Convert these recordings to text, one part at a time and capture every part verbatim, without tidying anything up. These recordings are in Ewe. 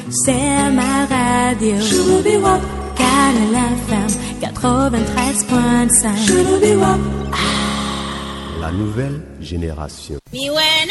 C'est ma radio. Canal F M quatre-vingt-treize point cinq. La nouvelle génération. Miwɛ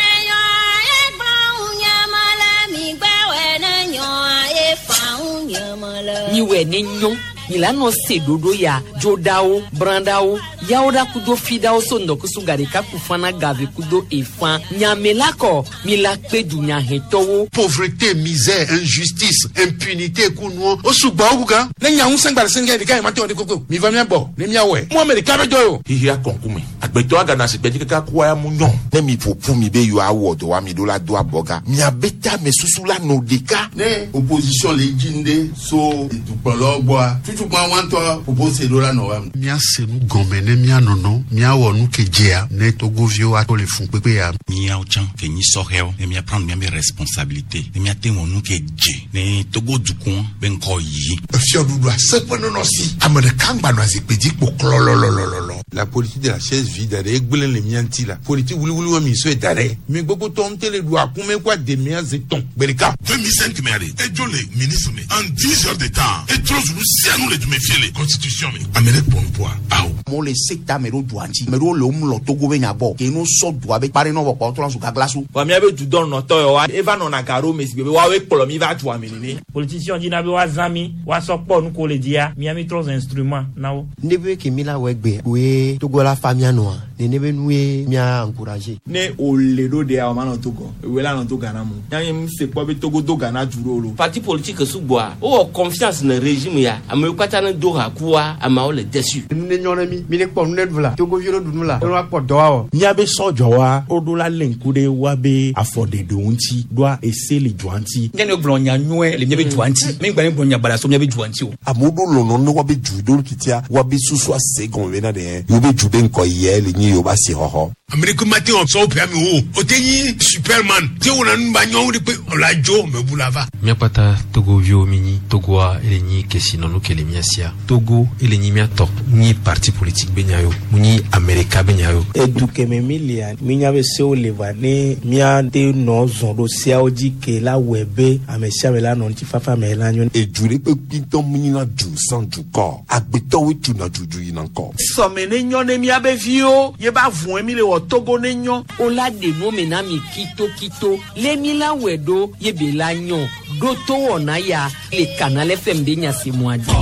ne nyɔ milano se dodo ya jodawo brandawo yawoda kudo fidawo so ndɔkusu garika kufana gave kudo efan nyamelakɔ milakpe dunyahɛtɔwo. Pauvreté, misère, injustice, impunité kunuɔ o sugbɔ o kan. Ne nya ŋusẽ gba le sɛngɛ ɖeka yi ma te wɔ de koko mi va mia bɔ ne mia wɔe mu ame ɖeka bɛ jɔ o. Hihi akɔnkume agbetɔ agana si gbɛdzi kaka kua ya mu nyɔ. Ne mi ƒoƒu mi be yewoa wɔ dɔ wa mi ɖo la do abɔga miabe ta me susu la nɔ ɖeka. Ne opposition le dzi ŋde so dukplɔlawo gbɔa tutukpa wantɔ propose ɖo la nɔ wa. Míase nu gɔme ne míanɔnɔ míawɔ nu ke dzea ne togoviwo ato le fun kpekpe ya. Míawo tsã ke nyi sɔhɛwo ne míaprendre míabe responsabilité ne míate wɔ nu ke dze ne Togo dukɔ be ŋkɔ yi. Fiɔɖuɖu aseƒe nɔnɔ si ame ɖeka ŋgba nɔ azikpui dzi kpo klɔlɔlɔlɔlɔ. La politique de la chaise vide ɖe egblẽ le mía ŋuti la politique wuliwuli wa mi sɔe da ɖe mi gbogbo tɔ ŋute le ɖu akume kó ademia ze tɔn gbe ɖeka. deux mille cinq mɛ ale edzo le ministre me en dix heures de temps etrɔ zunu sianu le dume fie le constitution me ame ɖe kpɔ ŋkua awo. Amewo le sekta me ɖo dua ŋuti ame ɖewo le wo mlɔ Togo be nya gbɔ ke no sɔ dua be kpa ɖe nɔ vɔ kpɔ trɔ zu gaglasu. Wa míabe dudɔ nɔtɔ yɔ wa eva nɔna ga ɖo me si gbe be woawoe kplɔ mi va dua me nene. Politicien dina be woazã mi woasɔ kpɔ nu ko le dzia mía mi trɔ zu instrument na wo. Ne be ke mi la wɔ egbe woe Togo la fa mía nɔa nene be nue mía encourager. Ne o le ɖo ɖea o ma nɔ Togo ewoe la nɔ to Ghana mo. Nya nye se kpɔ be Togo do Ghana du ɖo lo. Parti politique sugbɔa wowɔ confiance ne régime ya amewo katã ne do ha kua ameawo le déçu. Nu ne nyɔ ne mi mi ne kpɔ nu ne ɖu la Togoviwo ne ɖu nu la ne woakpɔ dɔ awɔ. Míabe sɔdzɔwa woɖo la lé ŋku ɖe woabe afɔɖeɖewo ŋuti ɖoa ese le dua ŋuti. Nye ne gblɔ nya nyuie le míabe dua ŋuti mi gba ne gblɔ nya baɖa so míabe dua ŋuti o. Amewo ɖo lɔlɔ ne woabe du ɖo titia woabe susu ase gɔme bena ɖe yewobe du be ŋkɔ yɛ le nyi yewobe asixɔxɔ. Amerika ma te wɔ sɔwɔ ƒe ame wo o te nyi Superman te wɔna nu ba nyɔnu de kpe ɔla dzo mebu la va. Míakpata Togoviwo mi nyi Togoa ele nyi kesinɔnu ke le mía sia. Togo ele nyi mía tɔ. Nyi parti politique be nya yo. Mu nyi Amerika be nya yo. Edu keme mi lia mi nya be sewo le va ne míate nɔ zɔn ɖo seawo dzi ke la wɔe be ame sia ame la nɔ ŋutifafa me la nyo. Edu ɖe kpekpe ŋutɔ mu nyina du sans dukɔ. Agbetɔwoe tuna dudu yina ŋkɔ. Sɔme ne nyɔ ne míabe viwo ye ba vɔe mi le wɔ Togo ne nyɔ. O la de nu me na mi kitokito le mi la wɛ ɖo ye be la nyɔ ɖo to wɔna ya le Canal F M be nyasemua dzi.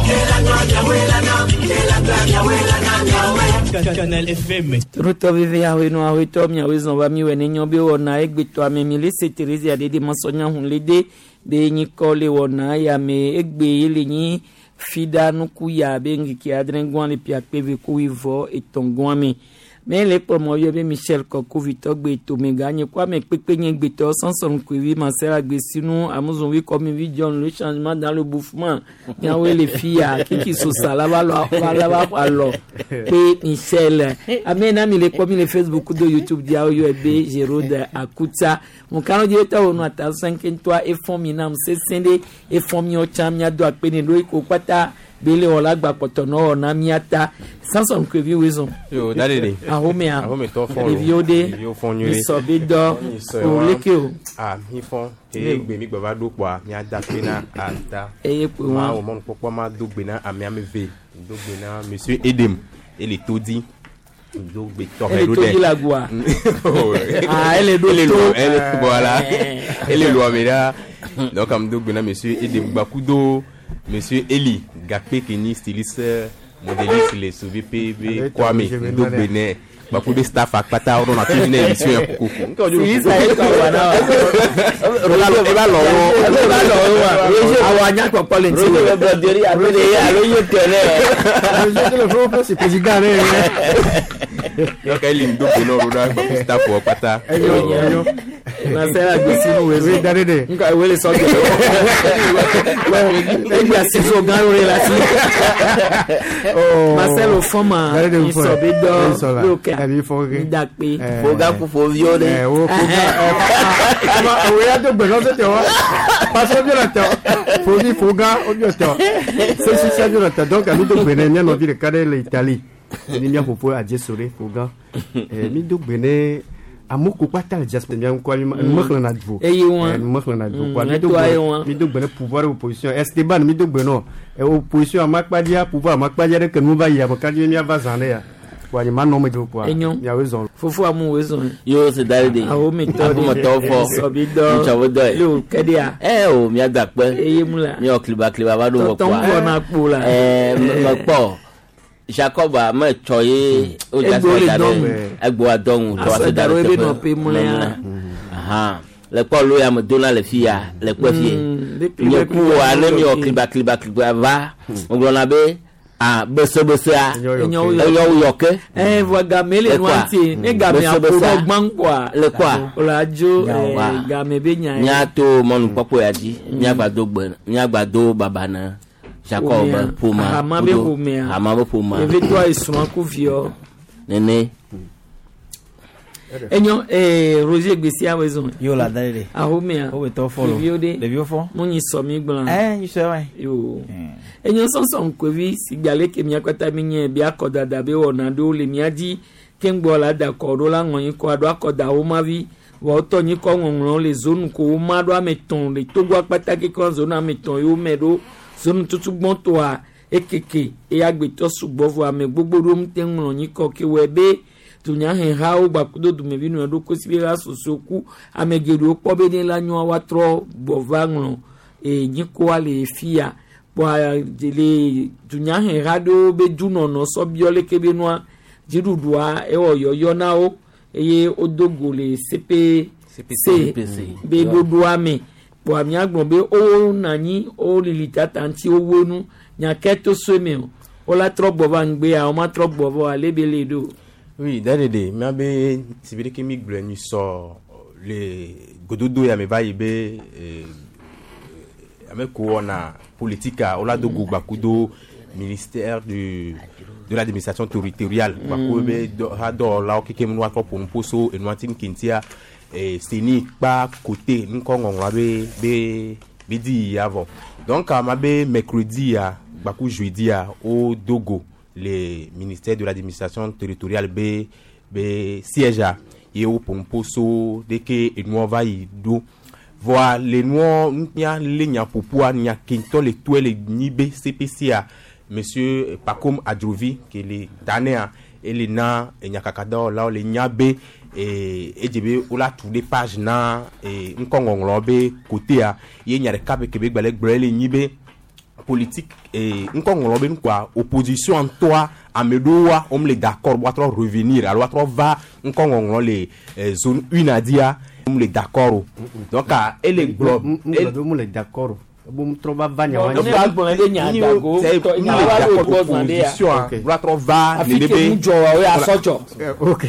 Canal F M. Torotɔ veve awoe nɔ awoetɔ miawoe zɔn va mi wɛ ne nyɔ be wɔna egbetɔ ame mi le se Thérésia ɖe de masɔnya hun le de be nyikɔ le wɔna ya me egbe ye le nyi fida nuku ya be ŋkeke adre gɔn le pia kpe ve ko wivɔ etɔ̃ gɔn me. Me le kplɔmɔ yɔ be Michel Kɔkovitɔ gbe tomega nye kɔ ame kpekpe nye gbetɔ Samson Koevi Marcel Agbesinu Amuzonvi Kɔmivi John le changement dans le bouffement miawoe le fia kiki sosa la va lɔ va la va alɔ pe Michel ame na mi le kpɔ mi le Facebook do YouTube diawo yɔ be Gérard Akuta mokano di etɔ wonu ata cinq ntɔa efɔn mi nam sese ɖe efɔn mi ɔtsa mia do akpe ne ɖo eko kpata bele wɔ la gba kpɔtɔ nɔ wɔ na mia ta Samson Koevi wezɔn. Yo, dalele. Ahomea. Ahome tɔ fɔn. Ɖeviwo ɖe. Ɖeviwo fɔn nyuie. Misɔ be dɔ. Misɔ O wa. leke o. Ah, mi fɔn. Eye gbe mi gbava ɖo kpoa, mia da kpe na ata. Eye kpe wa. Ma wɔ mɔnukpɔkpɔ ma do gbe na amea me ve. Do gbe na Monsieur Edem. Ele to di. Do gbe tɔxɛ Ele ɖo to ɖe. di la goa. Ah, ele ɖo Ele to. lo, ele voilà. Eh. Ele lo ame ɖa. Donc am do gbe na Monsieur Edem gbakudo Monsieur Eli Gakpe ke nyi styliste modéliste le Sauvé P B Kwame do gbe nɛ. Gbakudo staff akpata wo nɔna fi ne émission yɛ kokoko. Styliste ayi kɔ wa na wa. Ola ola lɔ wo. Ola lɔ wo wa. Awɔ anya kpɔkpɔ le ŋuti. Roger Broderi alo de alo ye tɛnɛ. Roger le fɔ c'est président ne. Donc eli do gbe nɔ ɖo ɖa gbaku staff wɔ kpata. Eyo eyo. Marcel Agbesinu wezɔn. Oui, dare de. Nka ewele sɔ gɛ. Egbe asizo gã wo le la si. Marcel Ofɔma Dare de misɔ be dɔ lókè midakpe. Foga ku foviwo ɖe. Eh, wo foga. O ya do gbe nɔ tɛ wa. Parce que bien tɛ. Fovi foga o bien tɛ. C'est si ça bien tɛ. Donc ami do gbe ne mía nɔvi ɖeka ɖe le Italie. Ni mía ƒoƒo adze sore foga. Eh, mi do gbe ne Amewo kpata le diaspora mia ŋkɔ mi mexlẽna du Eye wɔn. Eh, mexlẽna du Mm, quoi mi do etoa ye gbe wɔn. mi do gbe ne pouvoir opposition Esteban mi do gbe nɔ Eh, opposition amakpadia pouvoir amakpadia ɖe ke nu va yi ame ka dzi miava zã ɖe ya quoi nye ma nɔ me do quoi Enyo. miawoe zɔn Fofo amu wo zɔn. Yo se da de. Ahometɔ Ahometɔ fɔ. Sɔbi dɔ. Ŋutsɔwo dɔ ye. Le o kɛɖia. Ɛ o mía da kpe. Eye mu la. Míawɔ kliba kliba va ɖo wɔ Tɔtɔ kpoa. ŋgɔ na kpo la. Ɛɛ mekpɔ Jacob a metsɔ ye o da Egbo sɔ le da dɔn. ɖe egboa dɔ ŋu tɔ Asɔ ase da da ɖo ɖe ebe teƒe. nɔƒe mlɔea. Ahan. Le kpɔ lo ya me dona le fi ya le kpe fie. Mm, be kliba Nye ku wa ne kliba miwɔ kliba. kliba kliba kliba va ŋgblɔna be ah besebesea Enyo enyo yɔ ke. Eh, vɔ game le Le nua kɔa? ŋuti ne game aƒo Besebesea. ɖo gbã kɔa. Le kɔa? O la dzo Wa. eh, game be nya ye. Míato mɔnukpɔkpɔ ya dzi míagba do gbe míagba do baba na Jacob be Ƒomea. ƒomea Hama be kudo ƒomea. hama be ƒomea Evetɔa esrɔ̃ ku viɔ. nene. Enyo eh, Roger gbesia wo zɔn. Yo la da de. Ahomea. Wo tɔ fɔ lo. Ɖeviwo ɖe. Ɖeviwo fɔ. Mo nyi sɔ mi gblɔ. Eh, nyi sɔ wa. Yo. Enyo sɔsɔ ŋkuvi si gbalẽ ke mía katã mi nye be akɔdada be wɔna ɖewo le mía dzi keŋgbɔ la da kɔ ɖo la ŋɔ nyikɔ aɖo akɔdawo ma vi vɔ wotɔ nyikɔ ŋɔŋlɔ le zonu ko wo ma ɖo ame etɔ̃ le Togo akpata kekeŋ zonu ame etɔ̃ yewo me ɖo zonu tutu gbɔtɔa ekeke eye agbetɔ sugbɔ vɔ ame gbogbo ɖewo ŋute ŋlɔ nyikɔ ke wɔe be dunyahehawo gbakudo dumevi nɔ ɖo kosi be la soso ku ame geɖewo kpɔ be ne la nyɔa woatrɔ gbɔ va ŋlɔ e nyikɔa le fia kpɔa le dunyaheha ɖewo be dunɔnɔ sɔ biɔ leke be nua dziɖuɖua ewɔ yɔyɔ na wo eye wodo go le CPC CPC. be ɖoɖoa me kpɔa míagblɔ be wona anyi wolili tata ŋuti wowoe nu nyake to so me o wola trɔ gbɔ va ŋgbea womatrɔ gbɔ va o ale be le ɖo. Oui, dadede, miabe si be ɖeke mi gblɔe nyi sɔ le gododo ya me va yi be eh, ame ko wɔna politika wola do go gbakudo ministère du de l'administration territoriale gbaku be dɔ ha dɔwɔlawo keke nu woatrɔ ƒo nu ƒo so enua ti ŋkeŋtia eh, seni kpa kote ŋkɔ ŋɔŋlɔa be be be di ya vɔ donc ama be mercredi ya gbaku jeudi ya wo do go le ministère de l'administration territoriale be be siège a ye wo ƒo nu ƒo so ɖeke enua va yi ɖo voa le nua mía lé nyaƒoƒoa nya ke ŋutɔ le toe le nyi be CPC a monsieur Pacôme Adjovi ke le ta nea ele na enyakakadɔwɔlawo le nya be eh, edze be wola tu ɖe page na eh, ŋkɔŋɔŋlɔ be kotea ye nya ɖeka be ke be gba le gblɔ ele nyi be politique eh, ŋkɔŋɔŋlɔ be nukua opposition ŋutɔa ame ɖewoa wome le d'accord be woatrɔ revenir alo woatrɔ va ŋkɔŋɔŋlɔ le eh, zone une adia wome le d'accord o donc ah, ele gblɔ ŋgblɔ be mu le d'accord o ebo mu trɔ va va nya wa Ne gblɔ ɖe nya dago tɔ nya wa ɖo gbɔ zã ɖe ya. opposition woatrɔ va Afi nene ke be nu dzɔ wa o ya sɔ dzɔ. Ok.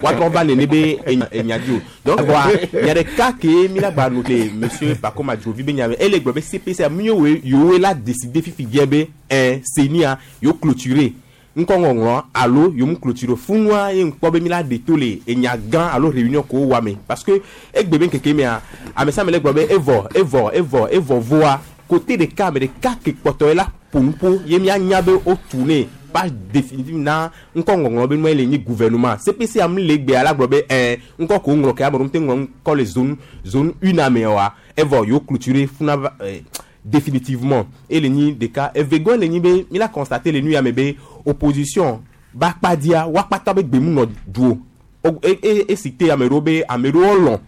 woatrɔ va nene be enya enya dzi o donc voa nya ɖeka ke mi la gba no le monsieur Pacôme Adjovi be nya me ele gblɔ be CPC miwoe yewoe la décider fifi dzɛ be ɛn CENI-a yewo clôturer ŋkɔŋɔŋlɔ alo yewo mu clôturer funua ye ŋkpɔ be mi la ɖe to le enya gã alo réunion ko wa me parce que egbe be ŋkeke mea ame sia ame le gblɔ be evɔ evɔ evɔ evɔ voa côté ɖeka ame ɖeka ke kpɔtɔ ye la ƒo nu ƒo ye mianya be wotu ne page définitive na ŋkɔŋɔŋlɔ be nua le nyi gouvernement CPC am le gbea la gblɔ be ɛn ŋkɔ ko ŋlɔ ke ame ɖewo ŋute ŋlɔ ŋkɔ le zone zone une ame oa evɔ yewo clôturer funa va eh, définitivement ele nyi ɖeka evegɔe le nyi be mi la constater le nu ya me be opposition ba kpadia woakpata be gbemu nɔ du o O- e e esi te ame ɖewo be ame ɖewo lɔ̃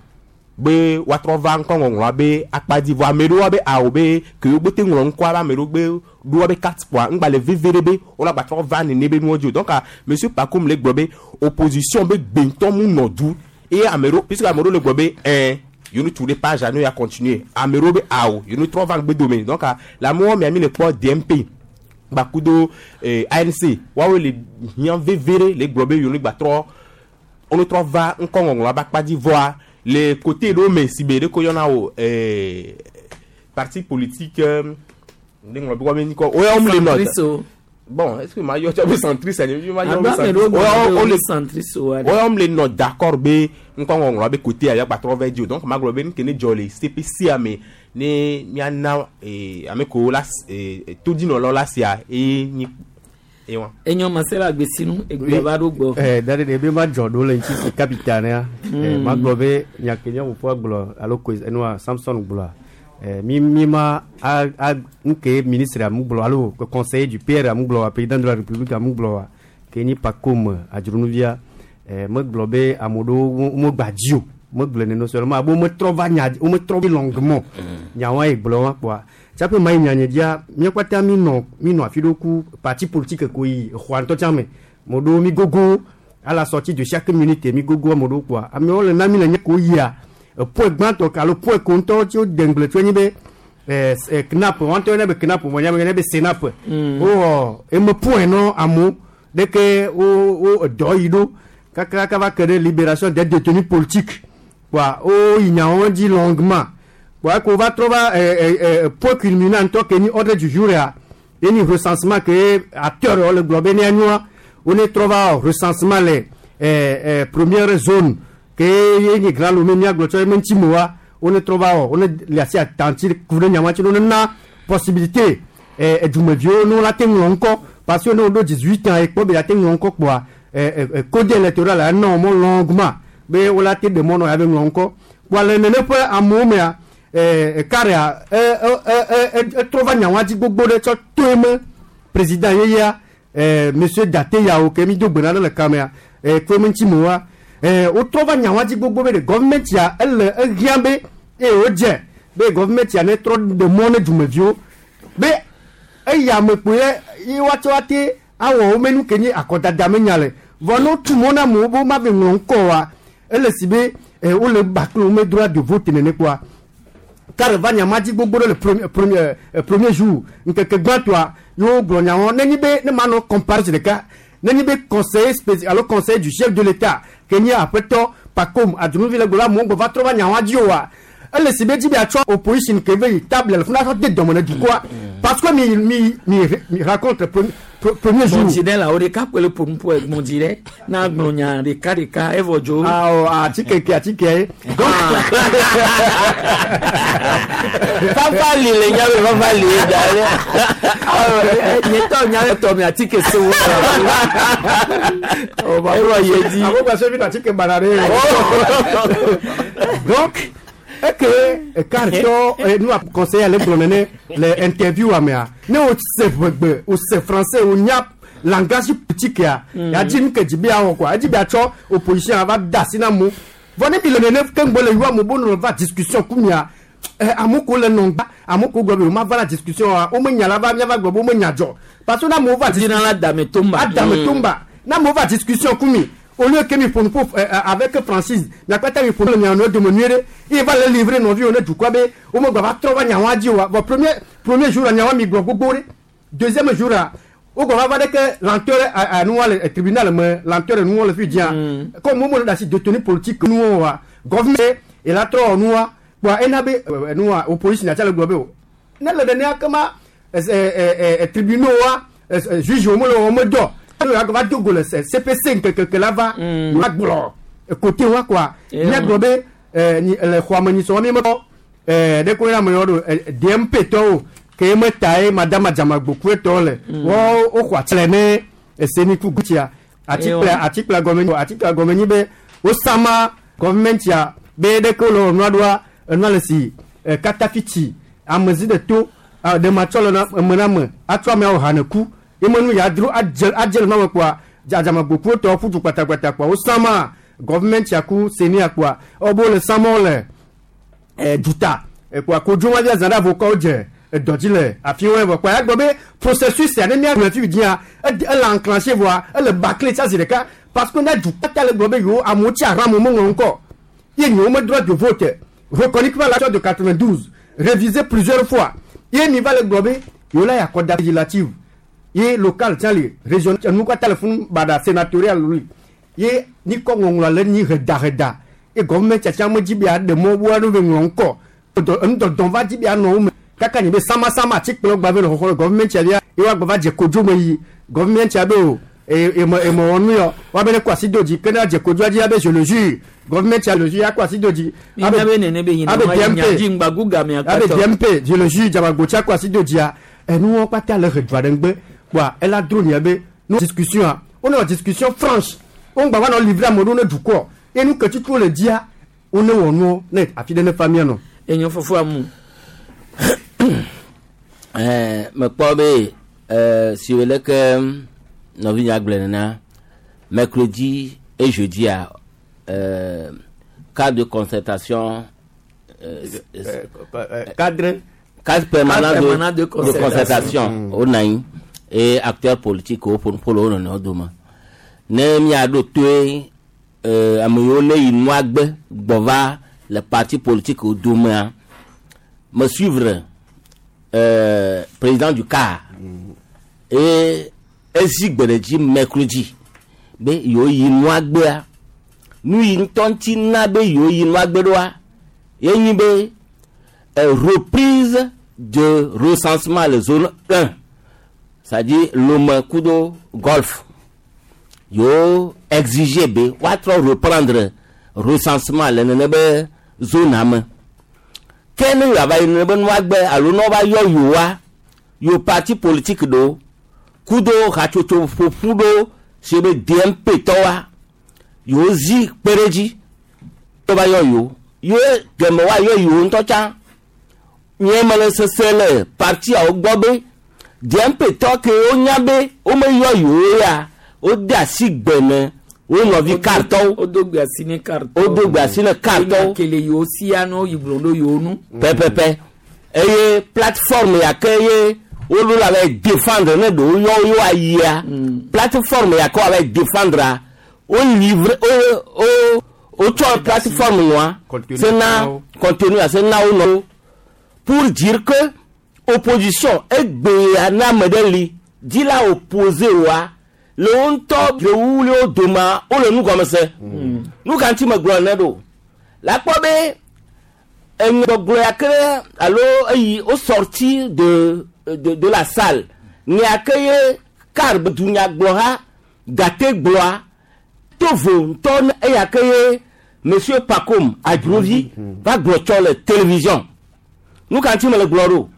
be woatrɔ va ŋkɔŋɔŋlɔa be akpadzi vɔ ame ɖewoa be awo be ke wo gbe te ŋlɔ ŋkɔa be ame ɖewo gbe ɖo woabe carte kpoa ŋgba le veve ɖe be wola gba trɔ va nene be nuwo dzi o donc ah, monsieur Pacôme le gblɔ be opposition be gbe ŋutɔ mu nɔ du eye ame ɖewo puisque ame ɖewo le gblɔ be ɛn yewo tu ɖe page a ne ya continuer ame ɖewo be awo yewo trɔ va ŋgbe dome donc ah, le amewo mia mi le kpɔ DMP gbakudo eh, ANC woawoe le hiã veve ɖe le gblɔ be yewo gba trɔ wone trɔ va ŋkɔŋɔŋlɔa be akpa dzi vɔa le côté ɖewo me si be ɖe ko yɔna wo eh, parti politique euh, ne ŋlɔ be woabe ŋkɔ wo ya wo le nɔ Centriste o. bon est ce que ma yɔ tsɔ be centriste ani ma yɔ be Ado ame ɖewo centriste gblɔ be wo wo le le centriste o wa ɖe. wo ya wo le nɔ d'accord be ŋkɔŋɔŋlɔa be côté ya gba trɔ va dzi o donc ma gblɔ be nu ke ne dzɔ le CPC me ne miana eh, ame kewo la eh, todzinɔlawo la sia eye nyi Ewa. Enyo masela gbesinu egbe va ɖo gbɔ. Eh, dade de be ma dzɔ ɖo le ŋuti si capitale ya. Eh, Mm. ma gblɔ be nya ke nye fofoa gblɔ alo ko enua Samson gblɔa. Eh, mi mi ma a a nke ministre amu gblɔ alo conseiller du P R amu gblɔ président de la République amu gblɔ wa ke nyi Pacôme Adzronuvia. Eh, me gblɔ be ame ɖewo wo gba dzi o. Me gblɔ nene seulement abo me trɔ va nya wo me trɔ longuement. Nyawa ye gblɔ wa kpoa. Tsaƒe ma yi nya nye dzia mía kpata mi nɔ mi nɔ afi ɖo ku parti politique ko yi xɔa ŋutɔ tsã me. Mo ɖo mi gogo à la sortie de chaque minute mi gogo ame ɖewo kpoa amewo le na mi le nye ko yia point gbãtɔ alo point ko ŋutɔ tso de ŋgble tso enyi be eh, eh, CNAP wɔn ŋutɔ yɔnɛ be CNAP vɔ nya be yɔnɛ be CENAP. Wowɔ eme point nɔ amewo ɖeke wo wo edɔ yi ɖo kakaka va ke ɖe libération des détenus politiques kpoa wo yi nyawo dzi longuement kpoa ko va trɔ va eh, eh, eh, point culminant ŋutɔ ke nyi ordre du jour ya ye nyi recensement ke acteur wo le gblɔ be ne anyoa wo ne trɔ va wɔ recensement le eh, eh, première zone ke ye nyi Grand Lomé míagblɔ tsɔ eme ŋuti me wa wo ne trɔ va wɔ wo ne le asi atanti ku ɖe nyama ŋuti ne wo ne na possibilité eh, edumeviwo ne wo la te ŋlɔ ŋkɔ parce que ne wo ɖo dix-huit ans ekpɔ be ya te ŋlɔ ŋkɔ kpoa eh, eh, eh, code électoral la enɔ mɔ longuement be wo la te ɖe mɔ nɔ ya be ŋlɔ ŋkɔ kpoa le nene ƒe amewo mea eh, karea etrɔ va nyawa dzi gbogbo ɖe tsɔ to eme président yeyea eh, monsieur Date Yawo ke mi do gbe na ɖe le kamea eh, ko eme ŋuti me wa eh, wotrɔ va nyawa dzi gbogbo be ɖe gɔvimɛnti ya ele ehiã be eye wodze be gɔvimɛnti ya ne trɔ ɖe mɔ ne dumeviwo be eya me kpoe ye woatsɔ ate awɔ wo menu ke nye akɔdada me nya le vɔ ne wotu mɔ na amewo be woma ve ŋlɔ ŋkɔ wa ele si be eh, wole bakle wo me droit de vote nene kpoa kare va nyama dzi gbogbo ɖe le premier premier eh, premier jour ŋkeke gbãtɔa yewo gblɔ nyawo nenyi be ne ma nɔ compare zi ɖeka nenyi be conseiller spécial alo conseiller du chef de l'état ke nye aƒetɔ Pacôme Adzronuvi le gblɔ amewo gbɔ va trɔ va nyawoa dzi oa ele si be dzi be atsɔ opposition ke ve yi table le funa sɔ de dɔme ne dukɔa parce que mi mi mi mi rencontre premier premier jour. Gbɔndzi ɖe la wo ɖeka kpe le ƒonuƒo gbɔndzi ɖe na gblɔ nya ɖeka ɖeka evɔ dzo. Awɔ atike ke atike ye. Fafa li le nya be fafa li ye da ɖe. Nye tɔ nya be tɔ mi atike se wo. Evɔ ye dzi. Abo gba se fi na atike bana ɖe. Donc eke ekaritɔ nu a conseiller le gblɔ nene le interview amea ne o se ʋegbe o se français o nya langage politique ya ya dzi nu ke dzi be awɔ quoi edzi be atsɔ opposition ava da asi na amewo vɔ ne mi le nene keŋgbɔ le yɔ amewo bo nɔ va discussion ku mia eh, amewo ko le nɔ gba amewo ko gblɔ be wo ma va la discussion wa wo me nya la va miava gblɔ be wo me nya dzɔ parce que ne amewo va Dina la dame tomba. adame tomba ne amewo va discussion ku mi au lieu que mi ƒo nu ƒo eh, avec franchise miakpata mi ƒo nu le mia nɔewo dome nyuie ɖe ye va le livrer nɔviwo ne dukɔa be wo me gba va trɔ va nyawoa dzi oa vɔ premier premier jour la nyawoa mi gblɔ gbogbo ɖe deuxième jour la wo gba va va ɖe ke lenteur nuwa le tribunal me lenteur nuwo le fi dzia comme wo me le ɖe asi détenu politique nuwo wa gouvernement ela trɔ nuwa kpoa ena be eh, nuwa opposition atsa le gblɔ be o ne le nenea kema eh, eh, eh, tribunaux wa eh, eh, juge wo me le wo me dɔ alo va do go le C P C ŋkekeke la va la gblɔ côté wa quoi míagblɔ be eh, nyi- le xɔa me nyisɔ mi mekpɔ eh, ɖe ko yina ame yɔ ɖo eh, D M P tɔwo ke me ta ye madame Adzamagbo kue tɔwo le wo woxɔ ati le ne eseni ku gutsia atikple atikple gɔme nyi atikple gɔme nyi be wosama gɔvimɛntia be ɖeke wole wɔ nua ɖoa enua le si eh, katafitsi amezi ɖe to ah, ɖe matsɔ le na eme na ame atsɔ ameawo ha ne ku eme nu ya dro adze adze le nua me kpoa Adzamagbo kue tɔwo ƒu du kpatakpata kpoa wosama gɔvimɛntia ku senia kpoa ewɔ le samɔ le eh, duta kpoa kodzo ma via zã ɖe avokawo dze edɔ dzi le afi wɔe vɔ kpoa ya gblɔ be processus ya ne mía gblɔ fi dzia ed- ele enclenché vɔa ele bâclé tsa zi ɖeka parce que ne du kpata le gblɔ be yewo amewo tsi aram wo meŋlɔ ŋkɔ ye nyewo me droit de vote reconnu par l'accord de quatre-vingt-douze révisé plusieurs fois ye mi va le gblɔ be yewo la yakɔda législative ye local tsã li région enu katã le funu baɖa sénatorial li ye nikɔ ŋɔŋlɔ le nyi hedaheda ye gɔvimɛnti tsã me dzi be aɖe mɔ woa no be ŋlɔ ŋkɔ Dɔ- enudɔdɔ va dzi be anɔ wo me kaka nye be samasama atikplɔ gba ve le xɔxɔ le gɔvimɛnti bia ye woagba va dze kodzo me yi gɔvimɛnti be o e eme eme wɔ nu yɔ woabe ne kɔ asi do dzi ke ne adze kodzoa dzi abe je le jure gɔvimɛnti le jure akɔ asi do dzi Mi nya be nene be yina abe wa yi nya D M P dzi ŋgba gu game abe akpatɔ. D M P je le jure Dzamagbo tsi akɔ asi do dzia enuwo kpata le he dua ɖe ŋgbe kpoa ela dro nia be No discussion a wonɔ discussion franche wo ŋgba va nɔ livrer ame ɖewo ne dukɔ ye nu ke tutu le dzia wo ne wɔ nuwo ne afi ɖe ne fa mía nɔ. Enyo fofo amu. Ɛɛ mekpɔ be ɛɛ si wo leke nɔvinya gblɔ nena mercredi et jeudi a euh, cadre de concertation euh, euh, cadre cadre permanent, Cadre permanent de, de de concertation. concertation Mm. wonɔ anyi eye acteur politique wo ƒo nuƒo le wo nɔnɔewo dome ne miaɖo toe euh, ame yiwo ne yi nua gbe gbɔ va le parti politique wo domea me suivre euh, président du CAR eye ezi gbe ɖe dzi mercredi be yewo yi nua gbea nu yi ŋutɔ ŋuti na be yewo yi nua gbe ɖoa ye nyi be euh, reprise de recensement le zone un c'est-à-dire Lomé kudo Golfe yewo exiger be woatrɔ reprendre recensement le nene be zone me ke ne yewoava yi nene be nua gbe alo ne wova yɔ yewoa yewo parti politique ɖewo kudo hatsotso ƒoƒu ɖewo si be D M P tɔwoa yewo zi kpe ɖe dzi wova yɔ yewo ye geme woayɔ yewo ŋutɔ tsã nye mele sese le partiawo gbɔ be D M P tɔ ke wonya be womeyɔ yewo ya wode asi gbe ne wo nɔvi kartɔwo wodo gbe asi ne kartɔwo wodo gbe asi ne kartɔwo kele yewo sia ne woyi gblɔ ɖo yewo nu. Pɛpɛpɛ eye plateforme ya ke ye woɖo la va défendre ne ɖewo yɔ wo ayia plateforme ya ke woava défendre wo livre wo wo wotsɔ plateforme nua se na contenu se na wo nɔ pour dire que opposition egbea na ame ɖe li dzi la opposé wa le wo ŋutɔ le wu le wo domea wole nu gɔme se nu ka ŋuti megblɔ ne ɖo la kpɔ be enyɔgblɔ ya ke alo eyi wo sorti de de de la salle nya ke ye car dunyagblɔha gate gblɔa tovo ŋutɔ ne eya ke ye monsieur Pacôme Adrovi va gblɔ tsɔ le télévision nu ka ŋuti mele gblɔ ɖo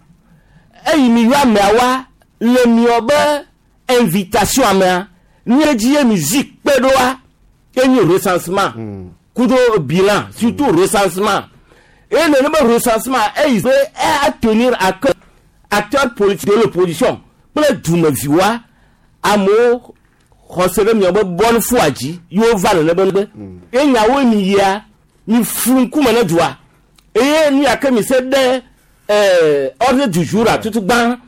eyi mi yɔ ameawoa le miɔ be invitation amea nu dzi ye mi zi kpe ɖoa enye recensement kudo bilan surtout recensement eye nene be recensement eyi be e tenir à cœur acteur politique de l'opposition kple dumeviwoa amewo xɔse ɖe miɔ be bonne foi dzi yewo va nene be nugbe ye nyawo mi yia mi flu ŋkume ne dua eye nu ya ke mi se ɖe ɛɛ ordre du jour a tutu gbã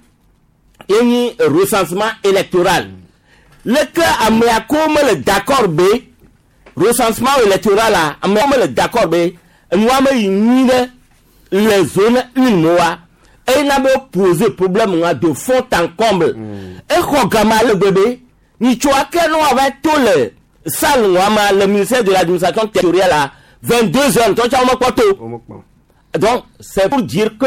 ye nyi recensement électoral leke amea ko mele d'accord be recensement électoral a amea mele d'accord be enua me yi nyui ɖe le zone une me wa eye na be poser problème wa de fond en comble exɔ gama ale gbebe nyitso ake ne wòava to le salle nua ma le ministère de l'Administration territoriale à vingt-deux heures ŋutɔ tsa womekpɔ to. Donc c'est pour dire que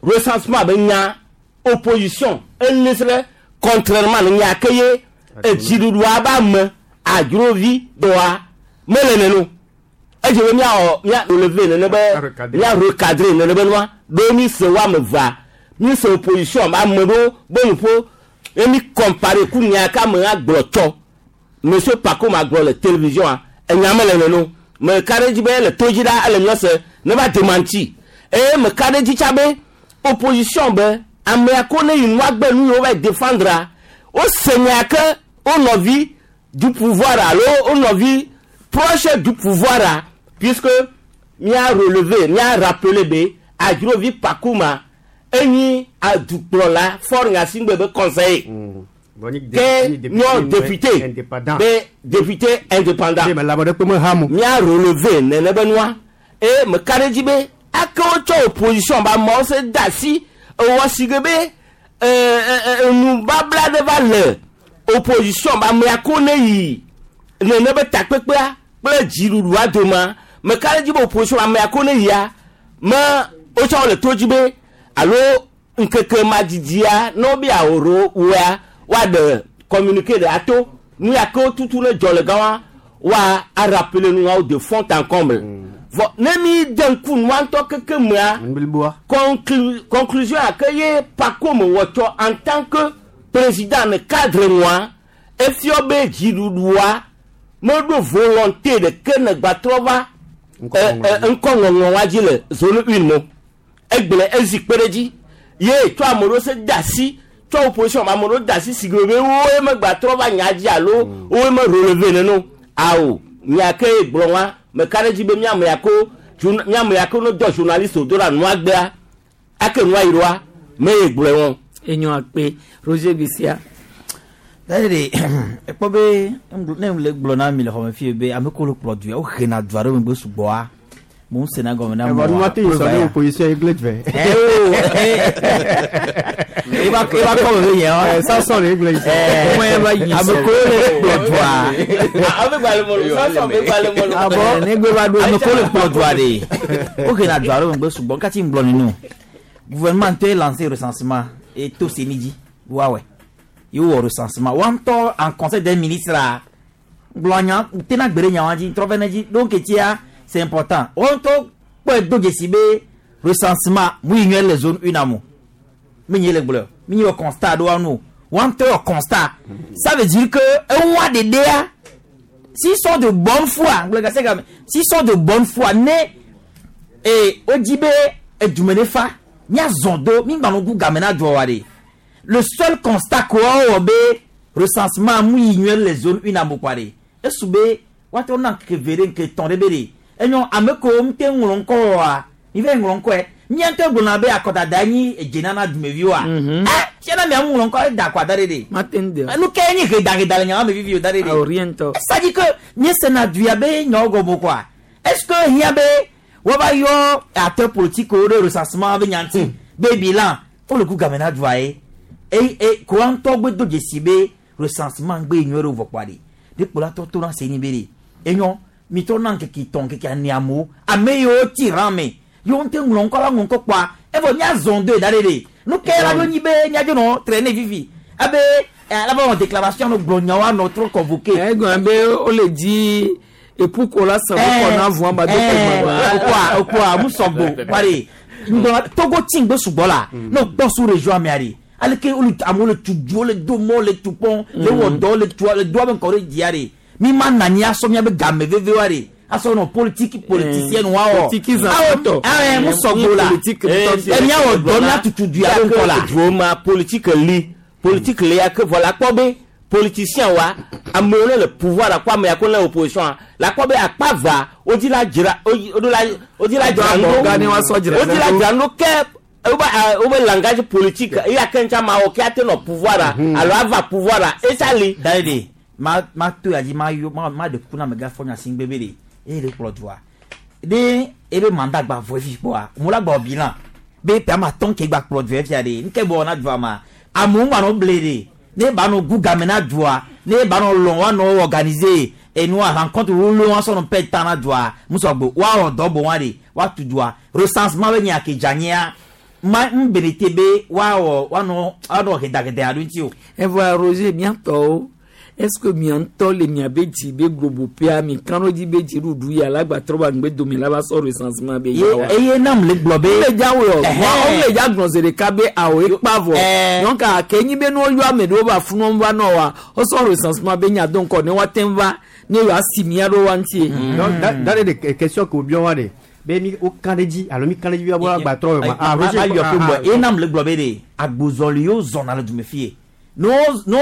recensement be nya opposition elisre contrairement ne nya ke ye edziɖuɖua ba me adzrovi dɔa mele neno edze be miawɔ mia relever nene be mia recadrer nene be nua ɖo mi se wo ame evea mi se opposition be ame ɖewo be nuƒo ye mi comparer ku nya ke ame agblɔ tsɔ monsieur Pacôme agblɔ le télévision a enya mele neno me ka ɖe dzi be ele to dzi ɖa ele miɔ se ne va démenti eye me ka ɖe dzi tsa be opposition be amea ko ne yi nua gbe nu yiwo va défendre a wose nya ke wo nɔvi du pouvoir alo wo nɔvi proche du pouvoir a puisque mia relever mia rappeler be Adrovi Pacôme enyi adukplɔla Faure Gnassingbé be conseiller ke nyɔ député be député indépendant mia relever nene be nua eye me ka ɖe dzi be ake wotsɔ opposition be amewo se da asi ewɔ si ge be enubabla ɖe va le opposition be amea ko ne yi nene be takpekpea kple dziɖuɖua domea me ka ɖe dzi be opposition amea ko ne yia me wotsɔ le to dzi be alo ŋkeke madidia ne wobe aworo woa woaɖe communiqué ɖe ato nu ya ke wotutu ne dzɔ le gã wa woa arappeler nuawo de fond en comble vɔ ne mi de ŋku nua ŋutɔ keke mea conclu conclusion a ke ye Pacôme wɔ tsɔ en tant que président ne cadre nua Efiɔ be dziɖuɖua meɖo volonté ɖeke ne gbatrɔ va ŋkɔ ŋɔŋlɔ wa dzi le zone une mo. Egblẽ ezi kpe ɖe dzi ye tsɔ ame ɖewo se de asi tsɔ opposition ame ɖewo de asi si gbe be woe megbatrɔ va nya dzi alo woe me relevé nene awo nya ke gblɔ wa meka ɖe dzi be miame ya ko miame ya ko ne dɔ journaliste do ɖa nua gbea ake nua yi ɖoa me ye gblɔe wɔn. Enyo akpe Roger Bisia. Dade ekpɔ be ne le gblɔ na mi le xɔme fie be ame ko le kplɔ du ya wo hena du aɖe megbe sugbɔa mo ń sena gɔme na mo. Ɛwɔ nua te yi sɔ ne opposition ye gblẽ vɛ. Eba eba kɔ me be yɛ wa. Samson ye gblẽ yi sɔ. Ame ko le kplɔ dua. Ame gbalẽ mɔlu Samson be gbalẽ mɔlu. Abɔ ne gbe va do ame ko le kplɔ dua de. Wo hena du aɖe megbe sugbɔ nkati ŋgblɔ ninu. Gouvernement te lancé recensement et to senidi wa wɛ. Yo wɔ recensement wa ŋutɔ en conseil des ministres la gblɔ nya tena gbe ɖe nya wa dzi trɔ vɛ ne dzi donc etia c'est important wa ŋutɔ kpɔe do dzesi be recensement mu yi nyuie le zone une amo mi nye le gblɔ mi nye wɔ constat ɖo wa nu wa ŋutɔ wɔ constat ça veut dire que eŋua ɖeɖea s'ils sont de bonne foi gblɔ gase game s'ils sont de bonne foi ne ee wodzi be edume ne fa miazɔn do mi gbanɔ gu game na dua wa de. Le seul constat quoi be recensement mu yi nyuie le zone une amo quoi de esube wato na ke vere ke ton de be de enyo ame ko mte ŋlɔ ŋkɔ wa mi ve ŋlɔ ŋkɔ mi ŋutɔ gblɔna be akɔdada nyi edzena na dumevi wa eh fiana mi amu ŋlɔ ŋkɔ da akɔda de de nu ke nyi gedageda le nyawo me vivi o da de de oriento ça dit que nye sena duya be nyawo gɔmɔ quoi est-ce que hiã be woava yɔ acteur politique wo ɖe recensement be nyanti be bilan wole ku game na dua ye e e ko ŋutɔ gbe do dzesi be recensement gbe nyuie ɖe vɔ kpɔa de de kplɔla tɔ to na se ni be de enyɔ mi tɔ na ŋkeke tɔn ŋkeke ene amewo ame yiwo tsi rã me yiwo ŋutɔ ŋlɔ ŋkɔ la ŋlɔ ŋkɔ kpɔa evɔ miazɔn do da ɖe de nu ke la ɖo nyi be miadzo nɔ traîner vivi abe alaba wɔ déclaration no gblɔ nyawo anɔ trɔ convoqué. Egɔn be wole dzi epuko la sàn kɔ na vɔn ba do ko gbagba. Okua okua musɔgbo pari ŋgbɔn Togo tsi ŋgbe sugbɔ la n'o gbɔ su région amea de aleke wole amewo le tu du wole do mɔ le tu pɔn le wɔ dɔ le tu le do abe ŋkɔ ɖe dzia de mi ma na nyi asɔ miabe game veve wa de asɔ nɔ politique politicienne wa wɔ awɔ awɔ musɔgbo la ɛ miawɔ dɔ miatutu du ya be ŋkɔ la. Duo politique li politique li ya ke vɔ la kpɔ be politicien wa amewo ne le pouvoir la kó ame ya ko le opposition la kpɔ be akpa va wodzi la dzra wodzi la wodzi la dzra nu wodzi la dzra nu ke wobe langage politique eya ke ŋutsa ma wɔ ke ate nɔ pouvoir la alo ava pouvoir la esa li. Dayi ma ma to ya dzi ma yɔ ma ma de kuku na amegã fɔ nya si ŋgbe be de eye le kplɔ dua de ebe mandat gba vɔ efi kpɔa mo la gbɔ bilan be pe ama tɔn ke gba kplɔ dua fia de nke bɔ na dua ma amewo gba nɔ ble de ne ba nɔ gu game na dua ne ba nɔ lɔn wa nɔ organiser enua rencontre wolo wa sɔnɔ pɛ tan na dua musɔgbo wa wɔ dɔ bɔ wa de wa tu dua recensement be nya ke dzanyia ma n berete be wa wɔ wa nɔ wa nɔ gedagede aɖo ŋuti o. Evɔ Roger miatɔwo est-ce que miatɔ le miabe dzi be globoƒea mi kan ɖo dzi be dziɖuɖu ya la gba trɔ ba ŋgbe dome la va sɔ recensement be ya wa. Eye nam le gblɔ be. Le dza wɔ wɔn le dza gblɔ zi ɖeka be awo ekpa vɔ donc ake nyi be ne woyɔ ame ɖewo va funu va nɔ wa wosɔ recensement be nya do ŋkɔ ne woate ŋu va ne yewoa si mia ɖo wa ŋuti. Donc dans les questions que obiɔ wa de be mi wo kan ɖe dzi alo mi kan ɖe dzi be wa gba trɔ ma. Ah Roger yɔ pe bɔ eye nam le gblɔ be de agbozɔli yewo zɔna le dume fie no no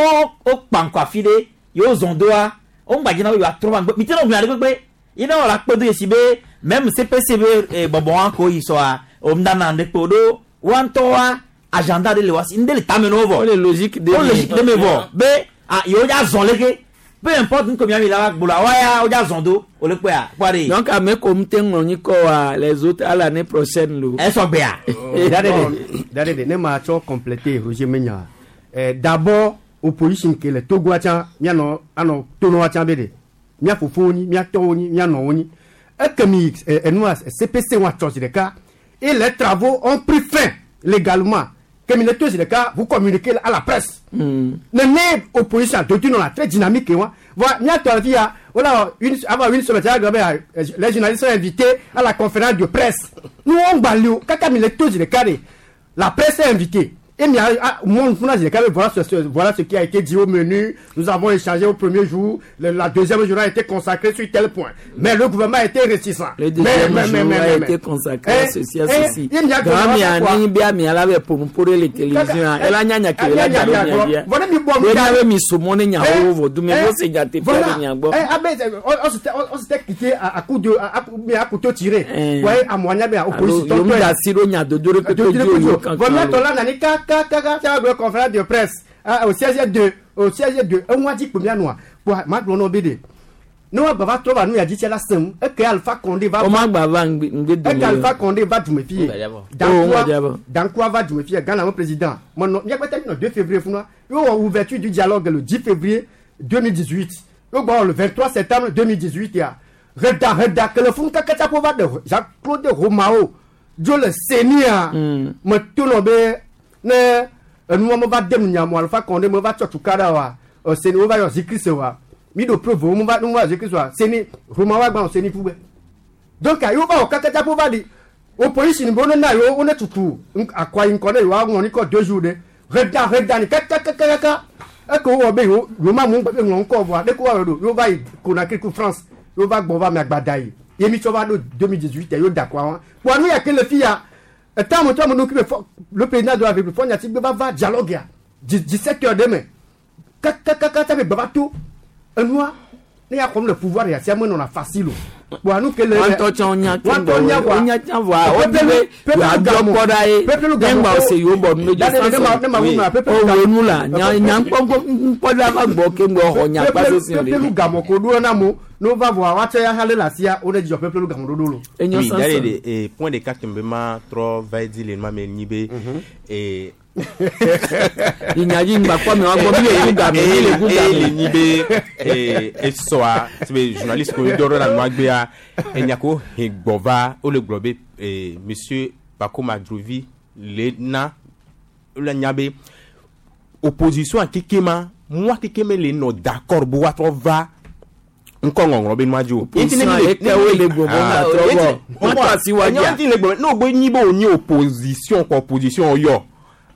wo kpa ŋkɔ afi ɖe yewo zɔn doa wo ŋgba dzina be yewoa trɔ va ŋgbe mi te nɔ gblẽ ɖe kpekpe ye ne wɔ la kpe do yesi be même C P C be bɔbɔ wa ko yi sɔa o ŋdana ɖe kpe o ɖo wa ŋutɔ wa agenda ɖe le wa si ŋɖe le tame na wo vɔ o le logique de o logique de me vɔ be ah yewo dza zɔn leke peu importe nuke miami la va gblɔ wa ya wo dza zɔn do o le kpɔa kpɔa de. Donc ame ko ŋute ŋlɔ nyi kɔ wa les autres à l'année prochaine lo. Esɔ gbea. Dade de ne ma tsɔ compléter Roger Menya. Eh, d'abord opposition ke le Togo atsã mianɔ anɔ tonɔ atsã be de mia fofowo nyi mia tɔwo nyi mia nɔwo nyi ekemi enua C P C wa tsɔ zi ɖeka et les travaux ont pris fin légalement kemi le to zi ɖeka vous communiquez à la presse mm. Nene opposition dotu nɔ la très dynamique wa voilà mia tɔ fi ya wala une avant une semaine les journalistes sont invités à la conférence de presse nous on gba li o kaka mi le to zi ɖeka de la presse est invitée. Et mais, ah, moi, voilà ce, voilà ce qui a été dit au menu. Nous avons échangé au premier jour. Le, la deuxième journée a été consacrée sur tel point. Mais le gouvernement a été réticent. Le deuxième mais, mais, jour mais, a mais, été consacré à ceci, à ceci. On s'était quitté à coup de à couteau tiré. Ouais, à moyen mais opposition. Kaka conférence de presse au seize deux au seize deux un mois dit combien noir pour ma glono B D nous va trouver nous a dit c'est la somme et que Alpha Condé va et Alpha Condé va du méfier dans dans quoi va du méfier Ghana mon président mon il y a peut-être le deux février il y a ouverture du dialogue le dix février deux mille dix-huit le vingt-trois septembre deux mille dix-huit il y a reda reda que le fond kaka va de Jean-Claude Romao Dieu le Seigneur me tourne ne nous on va dem nyamo Alpha Condé me va tchotukada wa seni va yo zikri wa mi do preuve on va nous va zikri wa seni Roma wa gba seni fube donc ayo va o kakata po va di opposition bo na yo on tutu akwa in kone yo wa ni ko deux jours de reda reda ni kaka kaka kaka e ko wo be yo Roma mu gbe ngon ko voa de ko wa do yo va Conakry ku France yo va gbo va mi agbada yi yemi cho va do deux mille dix-huit yo d'accord pour nous ya que le fia tant que le président de la République va va dialoguer dix-sept heures demain. Il y a comme le pouvoir, il y a facile. Bon, nous que le nous va voir oui, d'ailleurs point de cas me trop va dire les mais nibé et il n'y a pas quoi mais on va les nibé et et soa c'est journaliste ko doro la noagbea enyako hegbova o le globe et monsieur Pacôme Adjovi le na le nyabe opposition a kikema moi kikeme le no d'accord bo wa trop va nkɔ ŋɔŋlɔ be nua dzi o. N'o gbe nyi be o nyi opposition kɔ opposition yɔ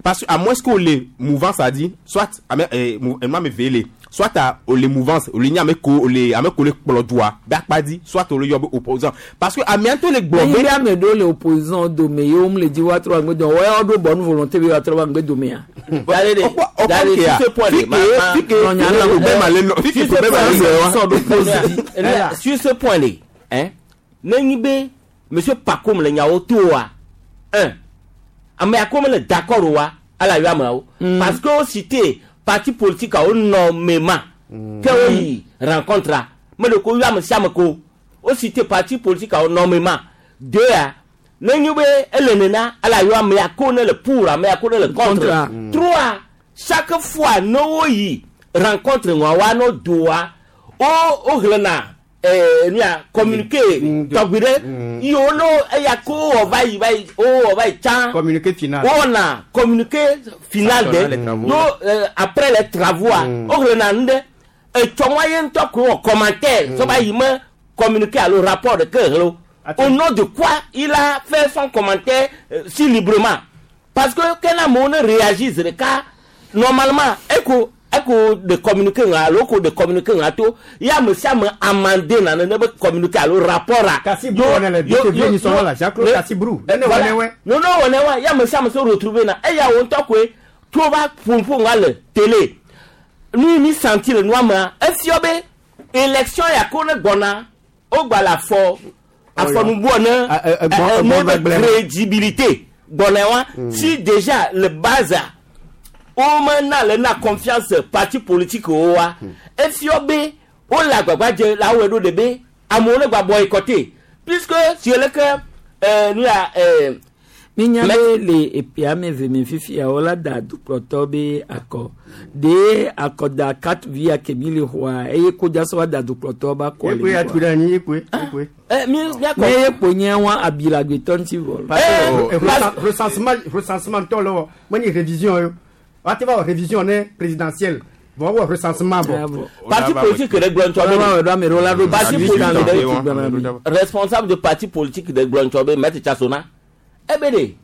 parce que à moins que o le mouvance a dit soit ame eh ema me vele soit a o le mouvance o le nyi ame ko o le ame ko le kplɔ dua be akpa di soit o le yɔ be opposant parce que ame ŋutɔ le gblɔ be. Ame ɖewo le opposant dome ye wo le di wa trɔ angbe dome wɔyɔ ɖo bonne volonté be wa trɔ angbe dome ya. Sur ce point là, hein, ne be monsieur Pacôme le nyawo to wa un ame akome le d'accord wa ala yo amawo parce que o cité parti politique a o nommément ke o yi rencontre me le ko yo ame sia ame ko o cité parti politique a o nommément deux a ne nyi be ele nena ala yo ame ako ne le pour ame ako ne le contre trois chaque fois no o yi rencontre wa wa no doa o o hlena eh nia communiqué tɔgbi yo no eya ko o va yi va yi o o va yi tsan communiqué final o na communiqué final de no après les travaux o hlena nu de etsɔmɔ ye ŋutɔ ko wɔ commentaire sɔba yi me communiqué alo rapport de ke hlo au nom de quoi il a fait son commentaire euh, si librement parce que kena amewo ne réagit ɖeka normalement eko eko de communiqué ŋa alo ko de communiqué ŋa to ya ame sia ame amande na nene be communiqué alo rapport a. Kassi Brou on est le deux février là Jean-Claude Kassi Brou. Ne ne wɔ ne wa ya ame sia ame se retrouver na eya wo ŋutɔ koe to va ƒoƒo ŋa le télé nu mi senti le nua mea efia be élection ya ko ne gbɔna o gba le afɔ afɔnubuɔ ne ne be crédibilité gbɔna wa si déjà le base o me na le na confiance parti politique o wa efia be o le agbagba dze le awɔe ɖo de be amewo ne gba boycotter puisque si ele ke ɛɛ nu ya ɛɛ. Minya be le epia me ve me fifia wola da dukplɔtɔ be akɔ de akɔda quatre vi akemi le xɔa eye kodza sɔ wa da dukplɔtɔ ba kɔ le Ekwe atu ɖe anyi ekwe ekwe. ɛ mi miakɔ. Ne ye kpo nye wa abilagbetɔ ŋuti vɔ. Parce que recensement recensement tɔ le wɔ menye révision ye o woate va wɔ révision ne présidentielle vɔ wɔ recensement bɔ. Parti politique de gblɔ ŋutɔ be parti politique de responsable de parti politique de gblɔ ŋutɔ be maître Tchasona ebe de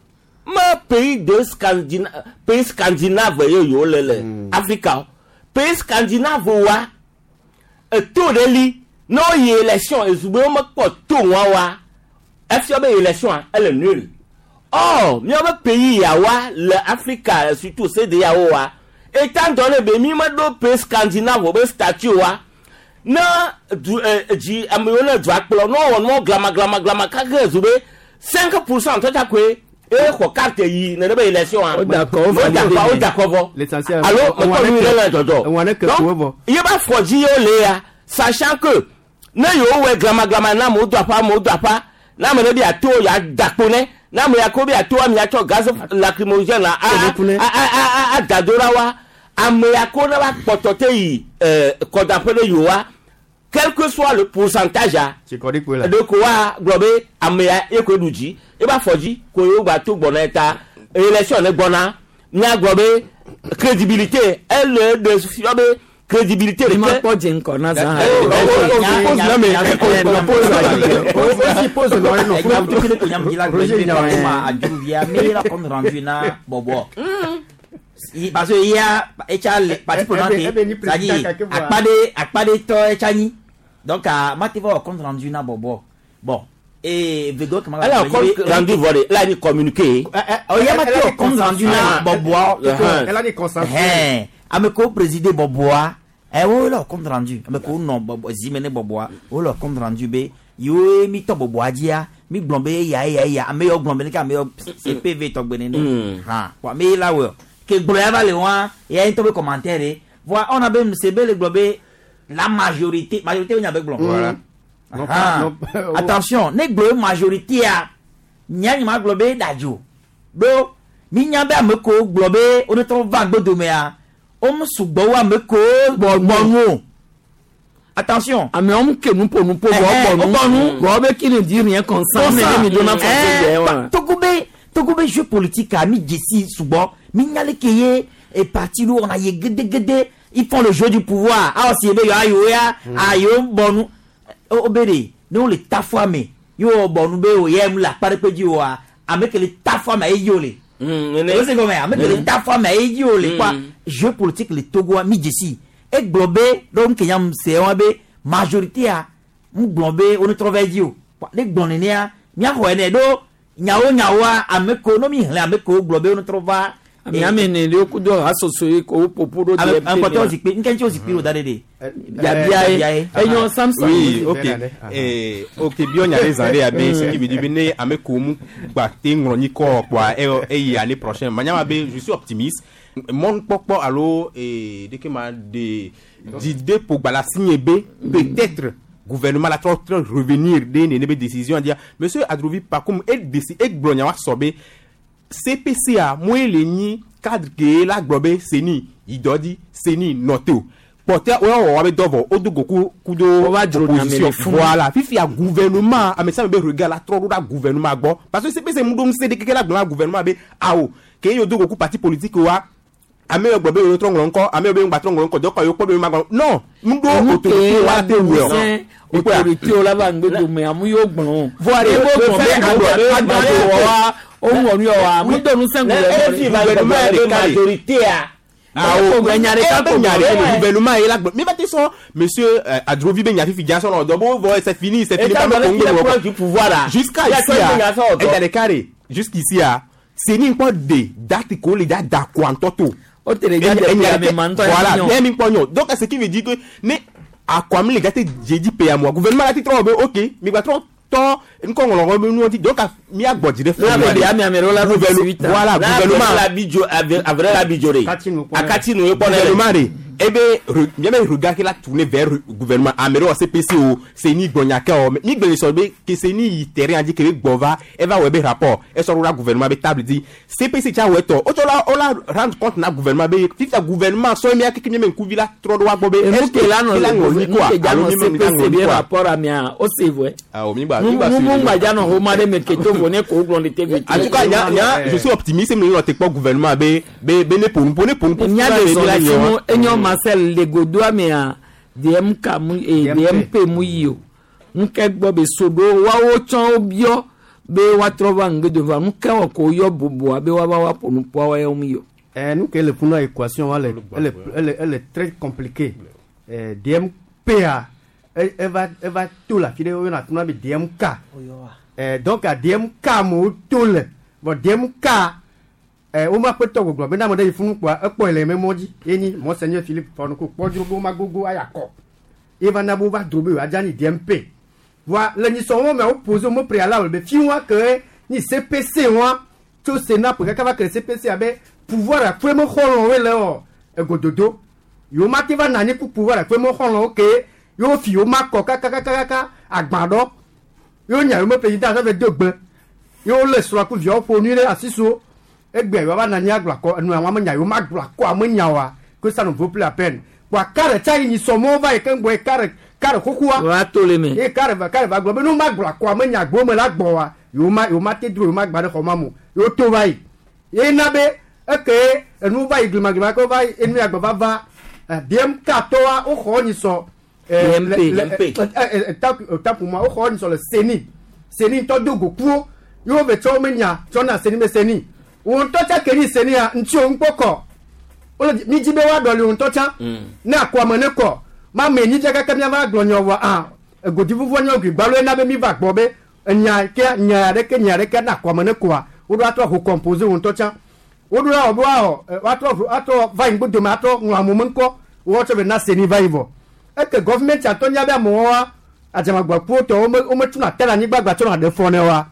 Me pays de Scandina pays scandinave ye yewo le le Afrika o. Pays scandinave wa eto ɖe li ne woyi élection ezugbe wo mekpɔ to ŋua wa efia be élection ele nul. Or míaƒe pays yawa le Afrika surtout CEDEAO wa étant donné be mi meɖo pays scandinave be statut wa ne du ɛ dzi ame yiwo le dua kplɔ ne wowɔ nuwo glama glama glama kake zu be cinq pourcent tɔtsa koe eye xɔ carte yi nene be élection wa O d'accord, o o d'accord o d'accord vɔ L'essentiel. alo mekpɔ nu ɖe le dzɔdzɔ Ewa ne ke Donc, koe vɔ. ye ba fɔ dzi yewo le ya sachant que ne yewo wɔ glama glama na amewo do aƒa amewo do aƒa na ame ɖe bi ato ya da kpo ne na ame ya ko bi ato ame ya tsɔ gaz lacrymogène la a a a a a da do la wa ame ya ko ne va kpɔtɔ te yi ɛɛ kɔdaƒe ɖe yewoa quel que soit le pourcentage a Tsikɔɖi koe la. ɖe ko wa gblɔ be ame ya ye koe ɖu dzi ye ba fɔ dzi ko yewo gba to gbɔna ta élection ne gbɔna míagblɔ be crédibilité ele ɖe fiɔ be crédibilité Mi ma ɖeke kpɔ dze ŋkɔ na zã. Parce que il y a etsa le parti prenante c'est-à-dire akpa ɖe akpa ɖe tɔ etsa nyi donc a ma te va wɔ compte rendu na bɔbɔ bon et vego kama Elle a compte rendu vɔ de elle a ni communiqué. ɔ ya ma te wɔ compte rendu na bɔbɔ Elle a dit consensuel. Ɛhɛn ame kewo présider bɔbɔa ɛ wo le wɔ compte rendu ame kewo nɔ bɔbɔ zime ne bɔbɔa wo le wɔ compte rendu be yewoe mi tɔ bɔbɔa dzia mi gblɔ be eya eya eya ame yawo gblɔ be ne ame yawo CPV tɔgbe nene Mm. hã wa ame yi la wɔ ke gblɔ ya va le wa eya ŋutɔ be commentaire ye voa ɔna be se be le gblɔ be la majorité majorité wo nya be gblɔ. Voilà. Non, pas- Ah. non, pas- attention ne gblɔ be majorité a nya nyima gblɔ be dadzo ɖo mi nya be ame kewo gblɔ be wo ne trɔ va gbodomea wo mu sugbɔ wo ame kewo gbɔnu o attention. Amewo mu ke nuƒo nuƒo vɔ Ɛhɛn, bɔ nu. wo bɔ nu. Vɔ be qui ne dit rien consent. Ne mi do na fɔ se wa. Togo be Togo be jeu politique a mi dzesi sugbɔ mi nya le ke ye e parti ɖo wɔna ye gedegede ils font le jeu du pouvoir awɔ si be yewoa yewo ya a yewo bɔ nu o o be de ne wo le ta fɔ ame ye wo bɔ nu be o yɛ mu le akpa ɖe kpe dzi oa ame ke le ta fɔ ame ye dzi o le. O se gɔmɛ ame ke le ta fɔ ame ye dzi o le quoi jeu politique le Togoa mi dzesi egblɔ be ɖo nuke nya se wa be majorité a mu gblɔ be wo ne trɔ va dzi o ne gblɔ nenea miaxɔe nɛ ɖo nyawo nyawoa ame kewo no mi xlẽ ame kewo gblɔ be wo ne trɔ va. Ame ame ne le ku do asoso ye ko popo do Ame ame zikpui nke ŋuti wo zikpui wo da ɖe ɖe. Biabia ye enyo Samson. Oui, ok. Eh, ok, bio nya ɖe zã ɖe abe ce qui veut dire be ne ame kewo mu gba te ŋlɔ nyikɔ kpoa eye eyi année prochaine. Manya be je suis optimiste. Mɔnukpɔkpɔ alo eh, ɖeke ma de dzideƒo gba le asinye be peut-être gouvernement la trɔ trɔ revenir ɖe nene be décision dia monsieur Adrovi Pakoum e déci egblɔ nya wa sɔ be CPCA moe le nyi cadre ke la gblɔ be seni yi dɔ dzi seni nɔ te o kpɔtɛ wo wɔ wa be dɔ vɔ o do go ku ku do dzro nya me le funu. voilà fifia gouvernement ame sia ame be regard la trɔ ɖo ɖa gouvernement gbɔ parce que CPC mu ɖo ŋusẽ ɖe keke la gblɔ na gouvernement be awo ke ye do go ku parti politique wa ame yiwo gblɔ be yewo trɔ ŋlɔ ŋkɔ ame yiwo be ŋgba trɔ ŋlɔ ŋkɔ dɔkɔ yewo kpɔ be yewo ma gblɔ non mu ɖo Enu autorité ke wa la te wɔ ŋusẽ autorité wo la va ŋgbe dome amu yewo gblɔ. Voa de, Ye bo le gblɔ be fait agblɔ be agblɔ- agblɔ wɔ wa o ŋlɔ nu yɔ wa mu do ŋusẽ gouvernement ɖeka majorité a. Awo nya ɖeka be ko nya gblɔ. ɖe le gouvernement ye la gblɔ mi ba te sɔn monsieur euh, Adrovi be nya fifi dza sɔn nɔ dɔ bo vɔ c'est fini c'est fini État ba me donné ko qu'il est ŋgbe proche du pouvoir là. jusqu'à Il y a ici tout le monde a a fait eda ɖeka de jusqu'ici a seni ŋkpɔ de date ko le dza da ko antɔ to. O te le dza de Enya- pe ame ma ŋutɔ voilà ya ne mi kpɔ nyɔ donc ce qui veut dire que ne akɔami le gate dzedzi pe amoa gouvernement la ti trɔ wɔ be ok mi gba trɔ tɔ ŋkɔ ŋlɔ be nuwo ti donc miagbɔ dzi ɖe La be ame ame ɖewo la ɖo dix-huit ans. voilà gouvernement la bidzo avre la bidzo de. Akati nu ye kpɔ ne le. gouvernement de ebe re- miabe regard ke la tourner vers re- gouvernement ame ɖewo CPC o seni gbɔnya ke o mi gbe le sɔ be ke seni yi terrain dzi ke be gbɔ va eva wɔ ebe rapport esɔ ɖo ɖa gouvernement be table dzi CPC tsa wɔ etɔ wotsɔ la wo la rendre compte na gouvernement be fifia gouvernement sɔ mia keke miame ŋkuvi la trɔ ɖo wa gbɔ be Enu est-ce ke la nɔ que la ŋlɔ nu nyikɔa ke dza alo nɔ mi me la CPC ŋlɔ be nyikɔa rapport amea o se vɔe. ah o mi gba Nu mi gba nu suivi mu le. ŋgba dza nɔ xɔma ɖe me ke to vo ne ko gblɔ ne te vi. en tout cas nya nya je suis optimiste mi nɔ te kpɔ gouvernement be be be ne ƒo nu ƒo ne ƒo nu ƒo Mía funa de be zɔ mi la le nye funu wa. enyo Marcel le godoa mea DMK mu eh, DMP mu yi o. Ŋkɛ gbɔ be so ɖo woawo tsɔ wo biɔ Be woatrɔ va ŋgbe va nu ke wɔ ko yɔ bubua be woava wa ƒo nuƒoa wa yɔ mi yɔ. Eh, nous que le funu équation elle elle elle elle est très compliquée. Eh, D M P A elle, elle va elle va tout la file on a tout na D M K. Eh, donc à D M K mo tout le bon D M K eh o ma pe to gbogbo be na mo de funu kwa e po ile me mo ji eni monseigneur Philippe Fonoko po dro bo ma gogo ayako. E va na bo va dro be wa jani D M P. Voilà, le ni son mais on pose au préalable be fi wa que ni C P C wa tso Sénat pour kaka va que C P C abe pouvoir a fue mo xɔlɔ̃ woe le wɔ egododo yewo ma te va na anyi ku pouvoir a fue mo xɔlɔ̃wo ke yewo fi yewo ma kɔ kakakakaka agbaɖɔ yewo nya yewo me président sɔ ve do gbe yewo le srɔ̃ ku viawo ƒo nu ɖe asi so egbe yewo va na anyi agblɔ akɔ enu àwọn ame nya yewo ma gblɔ akɔ ame nya wa que ça ne vaut plus la peine kɔa kare tsa yi nyi sɔmɔwo va yi ke ŋgbɔ ye kare kare xoxoa wa to le me ye kare va kare va gblɔ be nu ma gblɔ akɔ ame nya gbo me la gbɔ wa yewo ma yewo ma te dro yewo ma gba ɖe xɔ ma mo yewo to va yi ye na be eke enu va yi glimaglima ko va yi enu ya gbɔ va va D M K tɔwa woxɔ nyi sɔ D M P. Tapu ma woxɔ nyi sɔ le CENI CENI ŋutɔ do go kuwo yewo ve tsɔ wo me nya tsɔ na CENI be CENI wo ŋutɔ tsa ke nyi CENI ya ŋuti wo ŋkpɔ kɔ wole mi dzi be woaɖɔli wo ŋutɔ tsã ne akɔame ne kɔ ma me nyi dze kaka miava gblɔ nyɔ vɔ ah egodi vuvu nyɔ gbi gbalo ena be mi va gbɔ be enya ke nya ɖeke nya ɖeke na akɔame ne kɔa woɖo atrɔ ho composer wo ŋutɔ tsã woɖo la wɔ be woawɔ woatrɔ atrɔ va yi ŋgbodome atrɔ ŋlɔ amewo me ŋkɔ wotsɔ be na CENI va yi vɔ eke gɔvimɛnti atɔ nya be amewo wa adzamagbakuwo tɔ wome wometuna te le anyigba gba tsɔna ɖe fɔ ne wa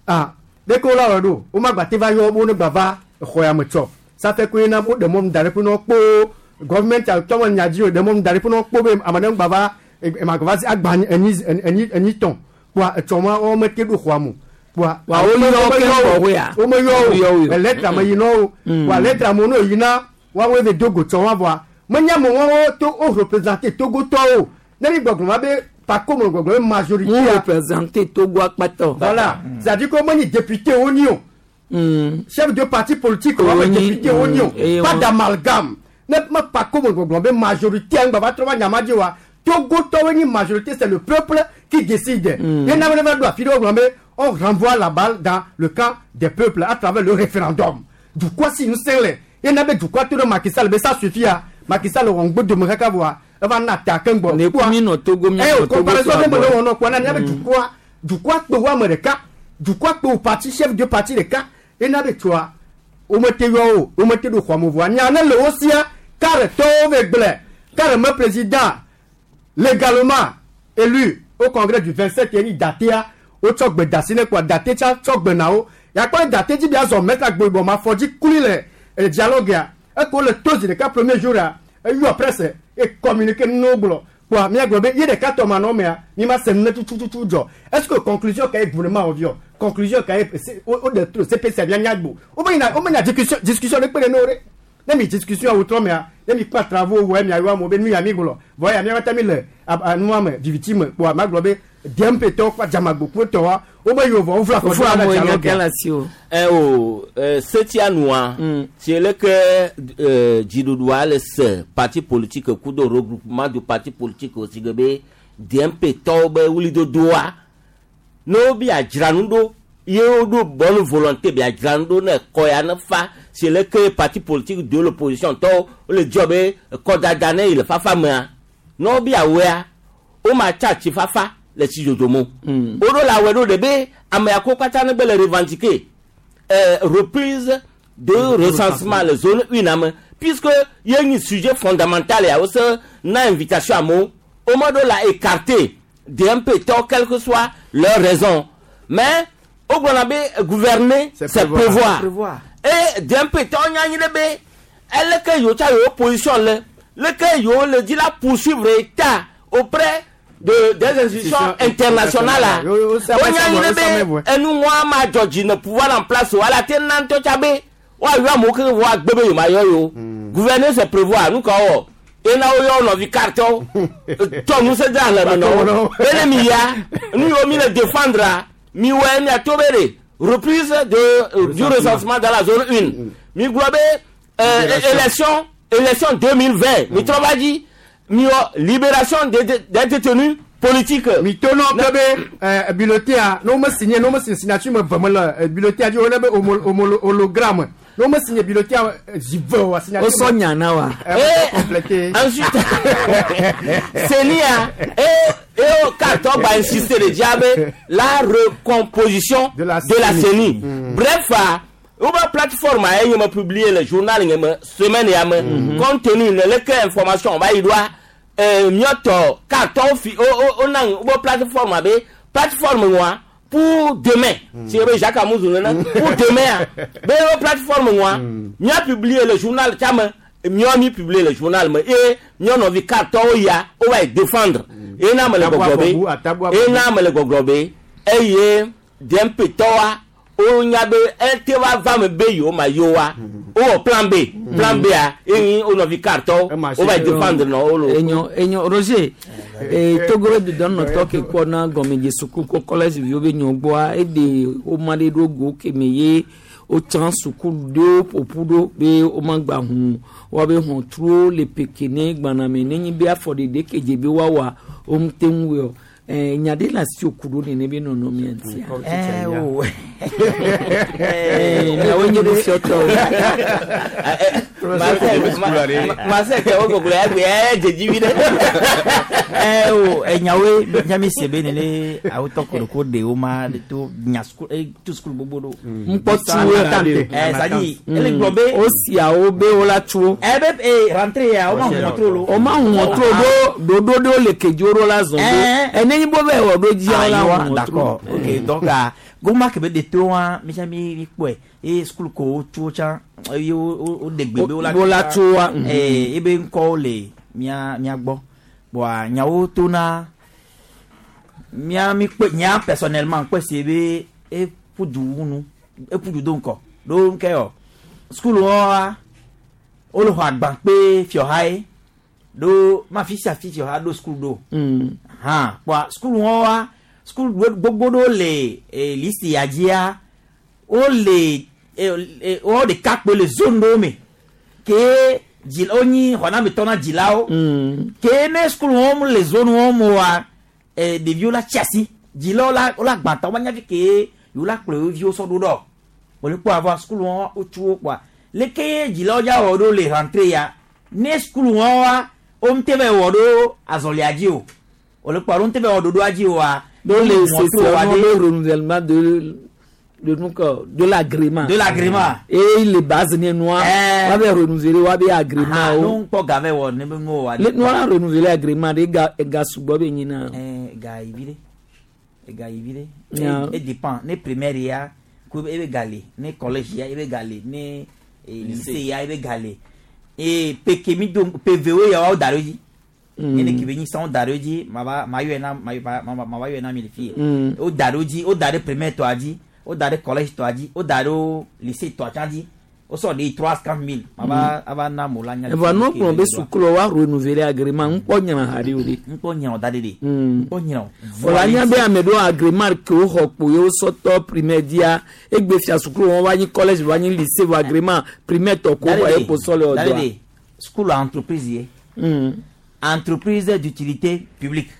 ah ɖeke wo la wɔ ɖo womagba te va yɔ wo ne gba va exɔ ya me tsɔ safɛ koe na wo ɖe mɔnu da ɖe ƒe na wo kpo gɔvimɛnti atɔ me nya dzi o ɖe mɔnu da ɖe ƒe na wo kpo be ame ɖe ŋgba va emagba va agba enyi enyi enyi tɔn kpoa etsɔ ma wo mete ɖo xɔa mo kpoa Wa wo yɔ wo keŋ gbɔ ya. womeyɔ Wo o lɛtra me yi na wo kpoa lɛtra me no yi na woawoe ve do go tsɔ wa vɔa menye ame wɔwo to wo représenter togotɔwo ne mi gbɔgblɔ ma be pako me gbɔgblɔ be majorité Mu représenter Togo akpatɔ. Voilà, c'est à dire que menye député wo ni o, chef de parti politique wo Wo me nyi, député wo ni o, mm, pas eye d'amalgame. Ne me pako me gbɔgblɔ be majorité ŋgba va trɔ va nyama dzi wa togotɔwo nyi majorité, c'est le peuple qui décide. Ye na be ne va ɖo afi ɖe wo gblɔ be on renvoie la balle dans le camp des peuples à travers le référendum. Dukɔ si ŋusẽ le ye na be dukɔa to ɖe Macky Sall be ça suffit a Macky Sall wɔ ŋgbodome kaka vɔa eva na ta keŋ gbɔ. Ne ku mi nɔ Togo mi Eh, nɔ o Togo comparaison sɔ ne me agbɔ. le wɔ nɔ kpɔ na nya be dukɔa dukɔa kpe wo ame ɖeka dukɔa kpe wo parti chef de parti ɖeka ye na be tsoa womete yɔ o womete ɖo xɔme vɔa nya ne le wo sia kare tɔwo ve gblẽ kare me président légalement élu au congrès du vingt-sept ye ni datea wotsɔ gbe da si ne kpoa date tsa tsɔ gbe na wo yakpɔ date dzi bia zɔ mɛta gboyibɔ ma fɔ dzi kuli le eh, dialogue ya eke wole to zi ɖeka premier jour ya eyɔ presse e communiqué nuwo gblɔ kpoa mía gblɔ be ye ɖeka tɔ ma nɔ mea mi ma se nu ne tutututu dzɔ. Est ce que conclusion ka ye gouvernement wɔ viɔ conclusion ka ye o o de to C P C mía nya gbo wo be yina wo me nya discussion discussion ɖe kpe ɖe ne wo ɖe ne mi discussion awo trɔ mea ne mi kpa travaux wɔ mia yɔ amewo be nu ya mi gblɔ vɔ ya mía katã mi le a- a- nua me viviti me kpoa ma gblɔ be D M P tɔwo kpa dzamagbo tɔwa wo be yewo vɔ wo vla Fofo fɔ amewo nya dialogue ke le asi o. ɛ o ɛ setia nua si leke ɛ dziɖuɖua le se parti politique kudo regroupement du parti politique o si ge be D M P tɔwo be wulidodoa ne wo bi adzra nu ɖo ye wo ɖo bonne volonté bi adzra nu ɖo ne kɔ ya ne fa si leke parti politique de l'opposition tɔwo wole dzɔ be kɔdada ne yi le fafa mea ne wo bi awɔa wo ma tsa tsi fafa le tsi dzodzo mo wo ɖo le awɔe ɖo ɖe be ame yawo katã ne be le revendiquer euh, reprise de recensement le zone une ame puisque ye nyi sujet fondamental ya wo se na invitation amewo wo me ɖo la écarter D M P tɔ quelle que soit leur raison, mais wo gblɔna be gouverner, c'est prévoir, Prévoir. Et D M P tɔ nya anyi ɖe be eleke yewo tsa yewo position le leke yewo le dzi la poursuivre état auprès de des institutions internationales la Yo, yo, wo nya anyi ɖe be enu ŋua ma dzɔ dzi ne pouvoir en place o ala te na ŋutɔ tsa be woayɔ amewo ke vɔ agbe be yewo ma yɔ yewo. Gouverner, c'est prévoir. Nu ka wɔ ena wo yɔ nɔvi cartɔwo tɔ ŋusẽ de alẽ me nɔ wo bene mi ya nu yiwo mi le défendre mi wɔ miato be de reprise de euh, du recensement dans la zone une mi gblɔ be euh, élection élection deux mille vingt mi trɔ va dzi mi wɔ libération des des détenus. politique. Mitonɔ ke be eh, bulletin ne wome signé ne wome signé signature me ve me le eh, bulletin dzi wone be homo- homolo- hologramme ne wome signé bulletin eh, zi ve oa signature. O sɔ nya na wa. Eh, complété. Ensuite, CENI et et au carton va insister le diable la recomposition de la CENI. Mm. Bref, ah, ou plateforme a yé publié le journal yé semaine ya me compte tenu de lequel information va y doit euh mieux carton fi o o o nan ou plateforme abe plateforme moi pour demain si mm. Jacques Amouzou nana pour demain ah. be o plateforme moi mieux publié le journal chama mieux mi publié le journal me et mieux no vi carton ya o va défendre et na me le goglobe et na me le goglobe et ye dempetoa o nya be ete wa va me be yo ma yo wa o plan B plan B a eyin o no vi carton o va défendre no o lo enyo enyo Roger eh Togo de don no talk ko na gɔmedze suku ko college vi wo be nyɔ gbɔa eɖe wo ma ɖe ɖo go keme ye wotsã suku ɖewo ƒoƒu ɖo be womagba ʋu woabe hɔntruwo le peke ne gbaname nenye be afɔɖeɖe ke dze be woawɔa womete ŋu wɔe o Eh, nya ɖe le asi wòku ɖo nene be nɔnɔmea ŋutia. Eh, o. Eh, miawoe nye nufiɔtɔwo. Masɛ kɛ o gbogbo ya gbe ɛ dzedzi vi ɖe. Eh, o enyawoe miami se be nene awotɔ koroko ɖewo ma ɖe to nya sukulu eh, to sukulu gbogbo ɖo. Ŋkpɔtuwo ya ɖe. Eh, c'est-à-dire ele gblɔ be. Wosiawo be wola tso. Eh, be eh, rentrée ya o ma ŋu trolo. O ma ŋu trolo ɖo ɖoɖo ɖewo le kedzi woɖo la zɔn ɖo. Ene nyi bo be wɔ ɖo dzia Ah, la yewa, ŋu trolo. d'accord. Ok, donc ah, goma ke be de to wa mi mi mi kpɔe eye sukulu ko wo tso tsã eye wo wo wo ɖe gbe be wola Wola tso wa, mhm. Eh, ebe ŋkɔwo le mía mía gbɔ bɔn nyawo tona mía mi kpɔe nya personnellement kpɔe si be eƒu du ŋu eƒu du do ŋkɔ ɖo ŋkɛ yɔ sukulu wa wole xɔ agba kpe fiɔha ye ɖo ma fi sia fi fiɔha ɖo sukulu ɖo hã kpɔa sukulu wa sukulu gbogbo ɖewo le eh, lisi ya dzia wole eh, eh, wo ɖeka kpe le zone ɖewo me ke dzi wonyi xɔnametɔ na dzilawo ke ne sukulu wɔm le zone wɔm wa eh, ɖeviwo la tsi asi dzilawo la wola gbã ta womanya fi ke yewo la kplɔ yewo viwo sɔ ɖo ɖɔ wòle kpɔ avɔ sukulu wɔm wotsu wo kpɔa leke ye dzilawo dza wɔ ɖo le rentrée ya ne sukulu wɔm wa womte va wɔ ɖo azɔlia dzi o wòle kpɔ alo womte va wɔ ɖoɖoa dzi oa Do le mɔto session wa le ɖe renouvellement de de nu kɔ de l'agrément. De l'agrément. Et les bases ne noa. Eh. Wa be renouveler wa be agrément Ah, o. no ŋkpɔ ga vɛ wɔ ne be ŋu wa Le noa renouveler agrément de ga ga sugbɔ be nyina. Eh, ga yi vi ɖe ega yi vi ɖe Ya. e dépend ne primaire ya ko ebe ga le ne collège ya ebe ga le ne eh, lycée ya ebe ga le e peke mi do PVO ya wa da ɖo dzi Mm. ene ke be nyi sãwo da ɖo dzi ma va ma yɔe na ma ma ma ma va yɔe na mi le fi Mm. wo da ɖo dzi wo da ɖe primaire tɔa dzi wo da ɖe collège tɔa dzi wo da ɖo lycée tɔa tsã dzi wo sɔ ɖe trois cent mille ma va ava na mo la nya le Evɔ fi nu ke kplɔ be be sukulu wa renouveler agrément ŋkpɔ nyina ha ɖe o de. ŋkpɔ nyina o da ɖe de. ŋkpɔ nyina o. Wòle anya be ame ɖewo agrément ke woxɔ kpo ye wosɔ tɔ primaire dzia egbe fia sukulu wɔn va nyi collège va nyi lycée vɔ agrément primaire tɔ ko xɔ ye ko sɔ le Dadede, ɔdɔa. school entreprise ye. Entreprise d'utilité publique.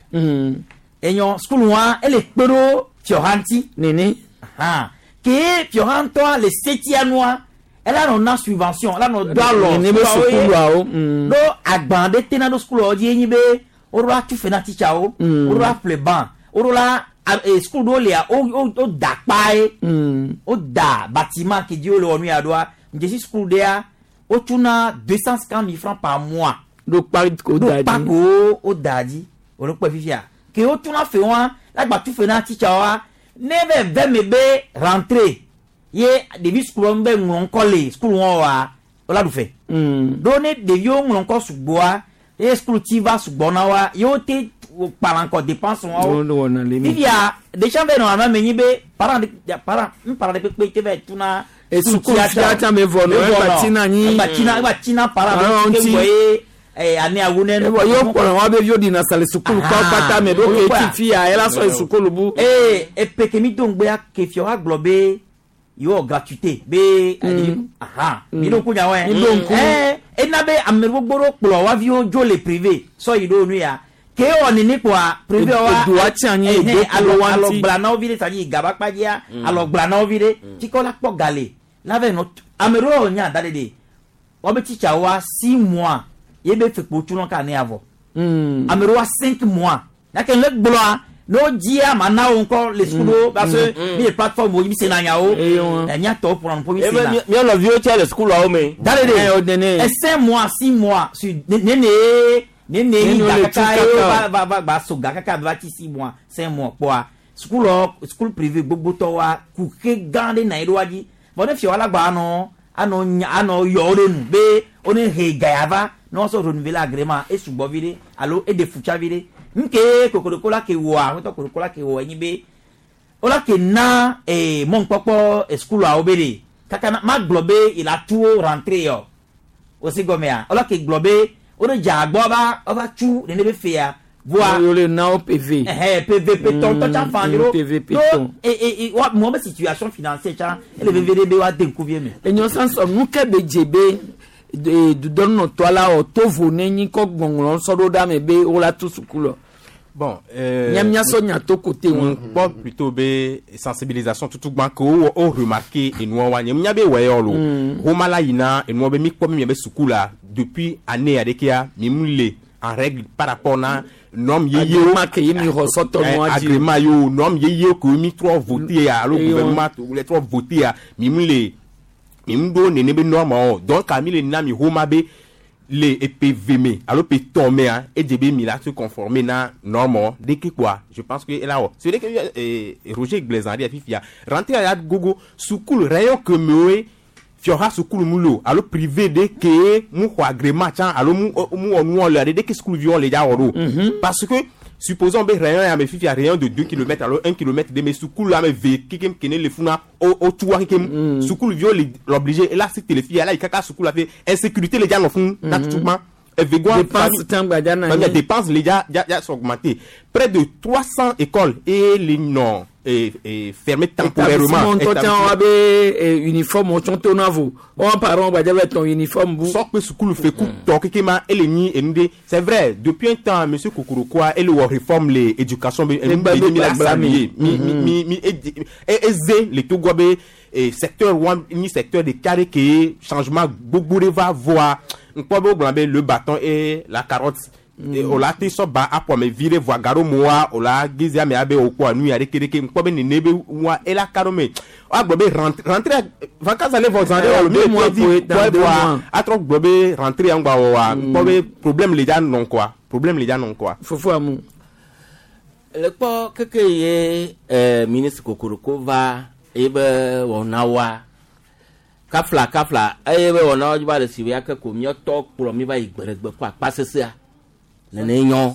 Enyɔ school wa ele kpe ɖo fiɔha ŋuti. Nene. Ke fiɔha ŋutɔa le setia nua ela nɔ na subvention ela nɔ do alɔ Nene be sukuluawo ye. sukuluawo, mm. Ɖo agban ɖe tena ɖo sukuluawo dzi ye nyi be woɖo la tu fe na titsawo woɖo la ƒle ban woɖo la a- e, sukulu ɖewo lia wo wo wo da kpa ye wo da bâtiment ke dzi wole wɔ nu ya ɖoa dzesi sukulu ɖea wotuna deux cent cinquante mille francs par mois. Ɖo kpa ko ɖo da kpa dzi. ko wo da dzi wòle kpɔe fifia ke wotuna fe wa lagba tu fe na titsawoa ne bɛ vɛ me be rentrée ye ɖevi sukulu be ŋlɔ ŋkɔ le sukulu wɔn wa wola ɖu fe. Ɖo ne ɖeviwo ŋlɔ ŋkɔ sugbɔa ye sukulu ti va sugbɔ na wa ye wote kpala ŋkɔ dépense wa wo Wo wɔna le mi. fifia ɖetsia bɛ nɔ ame me nyi be parent de parent n parent de kpekpe te bɛ tuna. E sukulu fia tsã me vɔ nɔ, egba tina nyi. egba tina egba tina parent Ah, be ŋuti. ke ŋgɔ ye eh, ane awu ne. Evɔ ye kplɔ wa be viwo ɖina sa le sukulu kɔ kpata me ɖo ke ti fia ela sɔ yi sukulu bu. ee epe ke mi do ŋgbea ke fia wa gblɔ be yewo gratuité be Mm. aha Mm. mi ɖo ŋku nyawo yɛ Mi ɖo ŋku. ɛɛ ena be ame gbogbo ɖewo kplɔ wa viwo dzo le privé sɔ yi ɖo nu ya Ke wɔ nini kpoa privé wa Edoa tsi anyi, ɛhɛn, edo alɔ klo wa alɔ ŋuti. gblana wo vi ɖe sadi gaba kpadzia Mm. alɔ gblana wo vi ɖe tsikɔ la kpɔ gale la vɛ nɔ ame ɖewo nya da ɖe de wɔbe titsa wa six mois ye be fekpo tsunɔ ka ne avɔ ame ɖewo wa cinq mois gake le gblɔa ne wo dzia ma na wo ŋkɔ le sukulu parce que Mm. mi le plateforme wo mi sena nyawo ɛ miatɔwo ƒona nu ƒo mi Ebe sena mi- mía nɔviwo tse le sukuluawo me. da ɖe de ɛ cinq mois six mois su nene nene Nene yi wo ga le kaka tu ye kaka. va va va gba so ga kaka va ti six mois cinq mois kpɔa sukuluɔ sukulu privé gbogbotɔ wa kuxe gã ɖe na yi ɖo wa dzi vɔ ne fia wa la gba anɔ anɔ nya anɔ yɔ wo ɖe nu be wo ne he ga ya va ne wɔsɔ renouveler agrément esugbɔ vi ɖe alo eɖe futsa vi ɖe nke kokoroko la ke wɔa wotɔ kokoroko la ke wɔ enyi be wola ke na ee mɔnukpɔkpɔ eh, sukuluawo be de kaka na ma gblɔ be il a tu wo rentré yɔ wosi gɔmea wola ke gblɔ be wo de dza agbɔ va ova tsu nene be fea voa Wo le na wo PV. ɛhɛ PVP tɔn tɔ tsa fan Mm, yoro PVP no tɔn. e e e wa mɔ be situation financière tsa ele veve de be wa de ŋkuvie me. Enyo sanso nu ke be dze be de- dudɔnunɔtɔ la wɔ tovo ne nyi kɔ gbɔnglɔ sɔ ɖo ɖa me be wo la tu suku lɔ. Bon, euh, Mía mía sɔ nya to kote wọn. kpɔ plutôt be sensibilisation tutu gbã ke wo wo remarqué enua wa nye nya be wɔ yɔ lo Mm. homa la yina enua be mi kpɔ mi be suku la depuis année aɖekea mi mu le en règle par rapport na norme yeyewo Agrément ke ye mi xɔ sɔtɔ nua dzi. agrément yewo norme yeyewo ke mi trɔ voté ya alo Eye wɔn. gouvernement le trɔ voté ya mi mu le mi mu ɖo nene be norme o donc mi le na mi homa be le EPV me alo pe tɔn mea edze be mi la se conformer na norme ɖeke kpoa je pense que ela wɔ c'est vrai que eh, Roger Glezan ɖe fifia rentrée ya gogo sukulu rayon ke mewoe fiɔha sukulu mu lo alo privé ɖe ke mu xɔ agrément tsã alo mu mu wɔ nuwɔ le aɖe ɖe ke sukuluviwo le dza wɔ ɖo parce que supposons be rayon ya me fifia rayon de deux kilomètres alo un kilomètre de me sukulu ame ve kekem kene le funa o o tuwa kekem sukuluviwo le l'obligé ela si tele fia ela yi kaka sukulu la fe insécurité le dza nɔ fún na tutugba evegoa Dépense tã gbadza na famille nyi. dépenses les déjà déjà sont augmentées près de trois cents écoles et les non et, et fermées temporairement Établissement ŋutɔ tsã wa be eh, uniforme wotsɔ to na vo. Wɔn parents gbadza be tɔn uniforme bu. sɔ kpe sukulu feku tɔ keke ma ele nyi enu de c'est vrai depuis un temps monsieur Kokorokoa ele wɔ réforme le éducation be enu Egba be be mi la gbagba mi. saluer mi mi mi mi edi- e eze le Togo be eh, secteur wa ni secteur de carré ke changement gbogbo de va voa nkpɔ be wo gblɔ be le bâton et la carotte o la te sɔ ba aƒɔ me vi ɖe voa gaɖo moa o la geze ame abe o kpɔ nu ya ɖeke ɖeke ŋkpɔ be nene be wa ela ka ɖo me woagblɔ be rentrée rentrée vacances ale vɔ zã ɖe Eh, wɔ mi deux mois le pour di dans kpɔ deux voa mois. atrɔ gblɔ be rentrée ya ŋgba wɔ wa ŋkpɔ be problème le dza nɔ quoi problème le dza nɔ quoi. Fofo amu. le kpɔ keke ye eh, ministre kokoroko va eye be wɔna wa kafla kafla eye be wɔna wa dzi va le si ya ke ko míatɔ kplɔ mi va yi gbeɖegbe kɔ akpa sesea nene nyɔ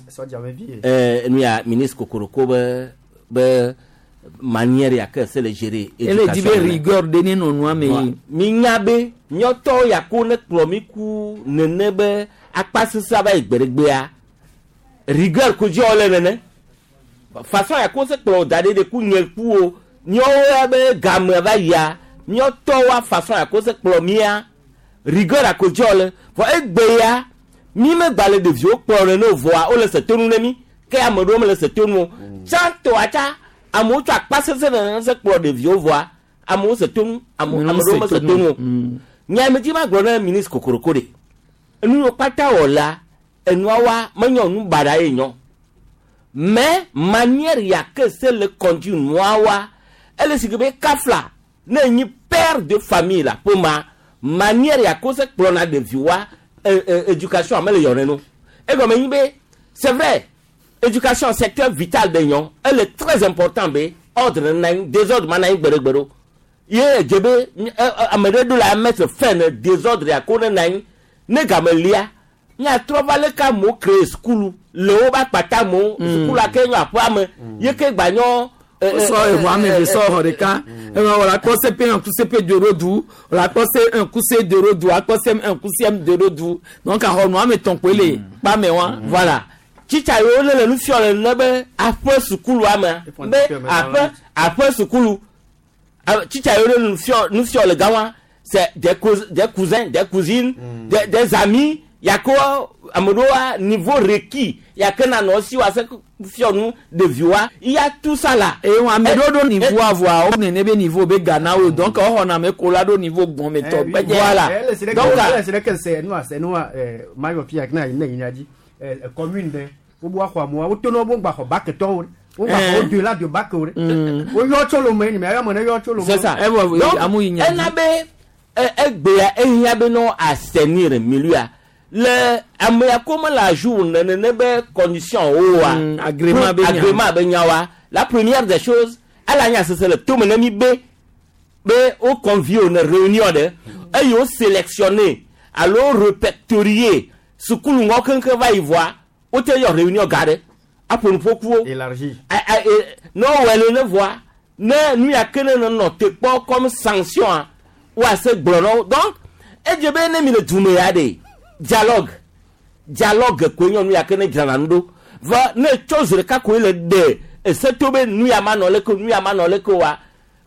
eh, nu ya ministre kokoroko be be manière ya ke se le gérer Ele di be éducation rigueur de ne nɔ nua me yi. mi nya be míatɔ ya ko ne kplɔ mi ku nene be akpa sesea va yi gbeɖegbea rigueur ko dzi wole nene façon ya ko se kplɔ da ɖe ɖe ku nye ku o míawo ya be game va yia míatɔ wa façon ya ko se kplɔ mía rigueur ya ko dzi wole vɔ egbe ya mi megba le ɖeviwo kplɔ nene o vɔa wole se tonu ne mi ke ame ɖewo mele se tonu o tsãtɔa tsa amewo tsɔ akpa sese nene se kplɔ ɖeviwo vɔa amewo se tonu ame Amewo ame ɖewo mese tonu o nya me dzi ma gblɔ ne ministre kokoroko de enu yiwo kpata wɔ la enua wa menye nu baɖa ye nyɔ mais manière ya ke se le conduire nua wa ele si ke be kafla ne nyi père de famille la ƒomea manière ya ko se kplɔna ɖevi wa eh, eh, éducation mele yɔ neno egɔme nyi be c'est vrai éducation secteur vital de nyɔ ele très important be ordre na anyi désordre ma na anyi gbeɖegbeɖe o ye edze be ɛ, ɛ, ame ɖe ɖo la mettre fin ne désordre ya ko ne na anyi ne game lia miatrɔ va leke amewo crée sukulu le wo be akpata amewo sukulu ke nyɔ aƒea me ye ke gba nyɔ. ɛ, ɛ, Wosɔ ɛ, eʋu ame eve ɛ, sɔ ɛ, xɔ ɖeka. Eme wòle akpɔ se pe un ku se pe deux ɖo du. Wòle akpɔ se un ku se deux ɖo du. Akpɔ se un ku se deux ɖo du. Donc axɔ nu ame etɔ̃ koe le kpa me wa. voilà tsitsa yiwo ne le nu fiɔ le ne be aƒe sukulua mea be aƒe aƒe sukulu A- tsitsa yiwo ne le nu fiɔ nu fiɔ le gama c'est des cous des cousins des cousines des des amis yako ame ɖewoa niveau requis ya ke na nɔ si wa se fiɔ nu ɖeviwoa ya tout ça là. eye wọn ame ɖewo ɖo niveau avoa wo nene be niveau be Ghana wo donc woxɔna ame ko la ɖo niveau gbɔmetɔ gbɛdze. Voilà. Donc c'est que c'est nous c'est nous mayo fia na ne nya di commune de wo bo axɔ amewo wo to ne wo gba xɔ bac tɔwo wo gba xɔ au delà de bac wo wo yɔ tso lome ni mais ayɔ me ne yɔ tso lome. C'est ça. Donc ena be egbea ehiã be nɔ assainir milieu le ame ya ko me le jour nene be condition wo wa agrément be nya. Agrément be nya wa, la première des choses, ala nya sese le tome ne mi be be wo convié wo ne réunion ɖe eye wo sélectionné alo répertorié sukulu ŋɔ keŋkeŋ va yi voa wote yɔ réunion ga ɖe aƒo nuƒokuwo élargi ne wowɔe le ne voa ne nu ya ke ne nɔ te kpɔ comme sanction a woase gblɔ na wo. Donc edze be ne mi le dume ya ɖe, dialogue, dialogue koe nye nu ya ke ne dzrana nu ɖo va ne tso zi ɖeka koe le ɖe ese to be nu ya ma nɔ leke o, nu ya ma nɔ leke oa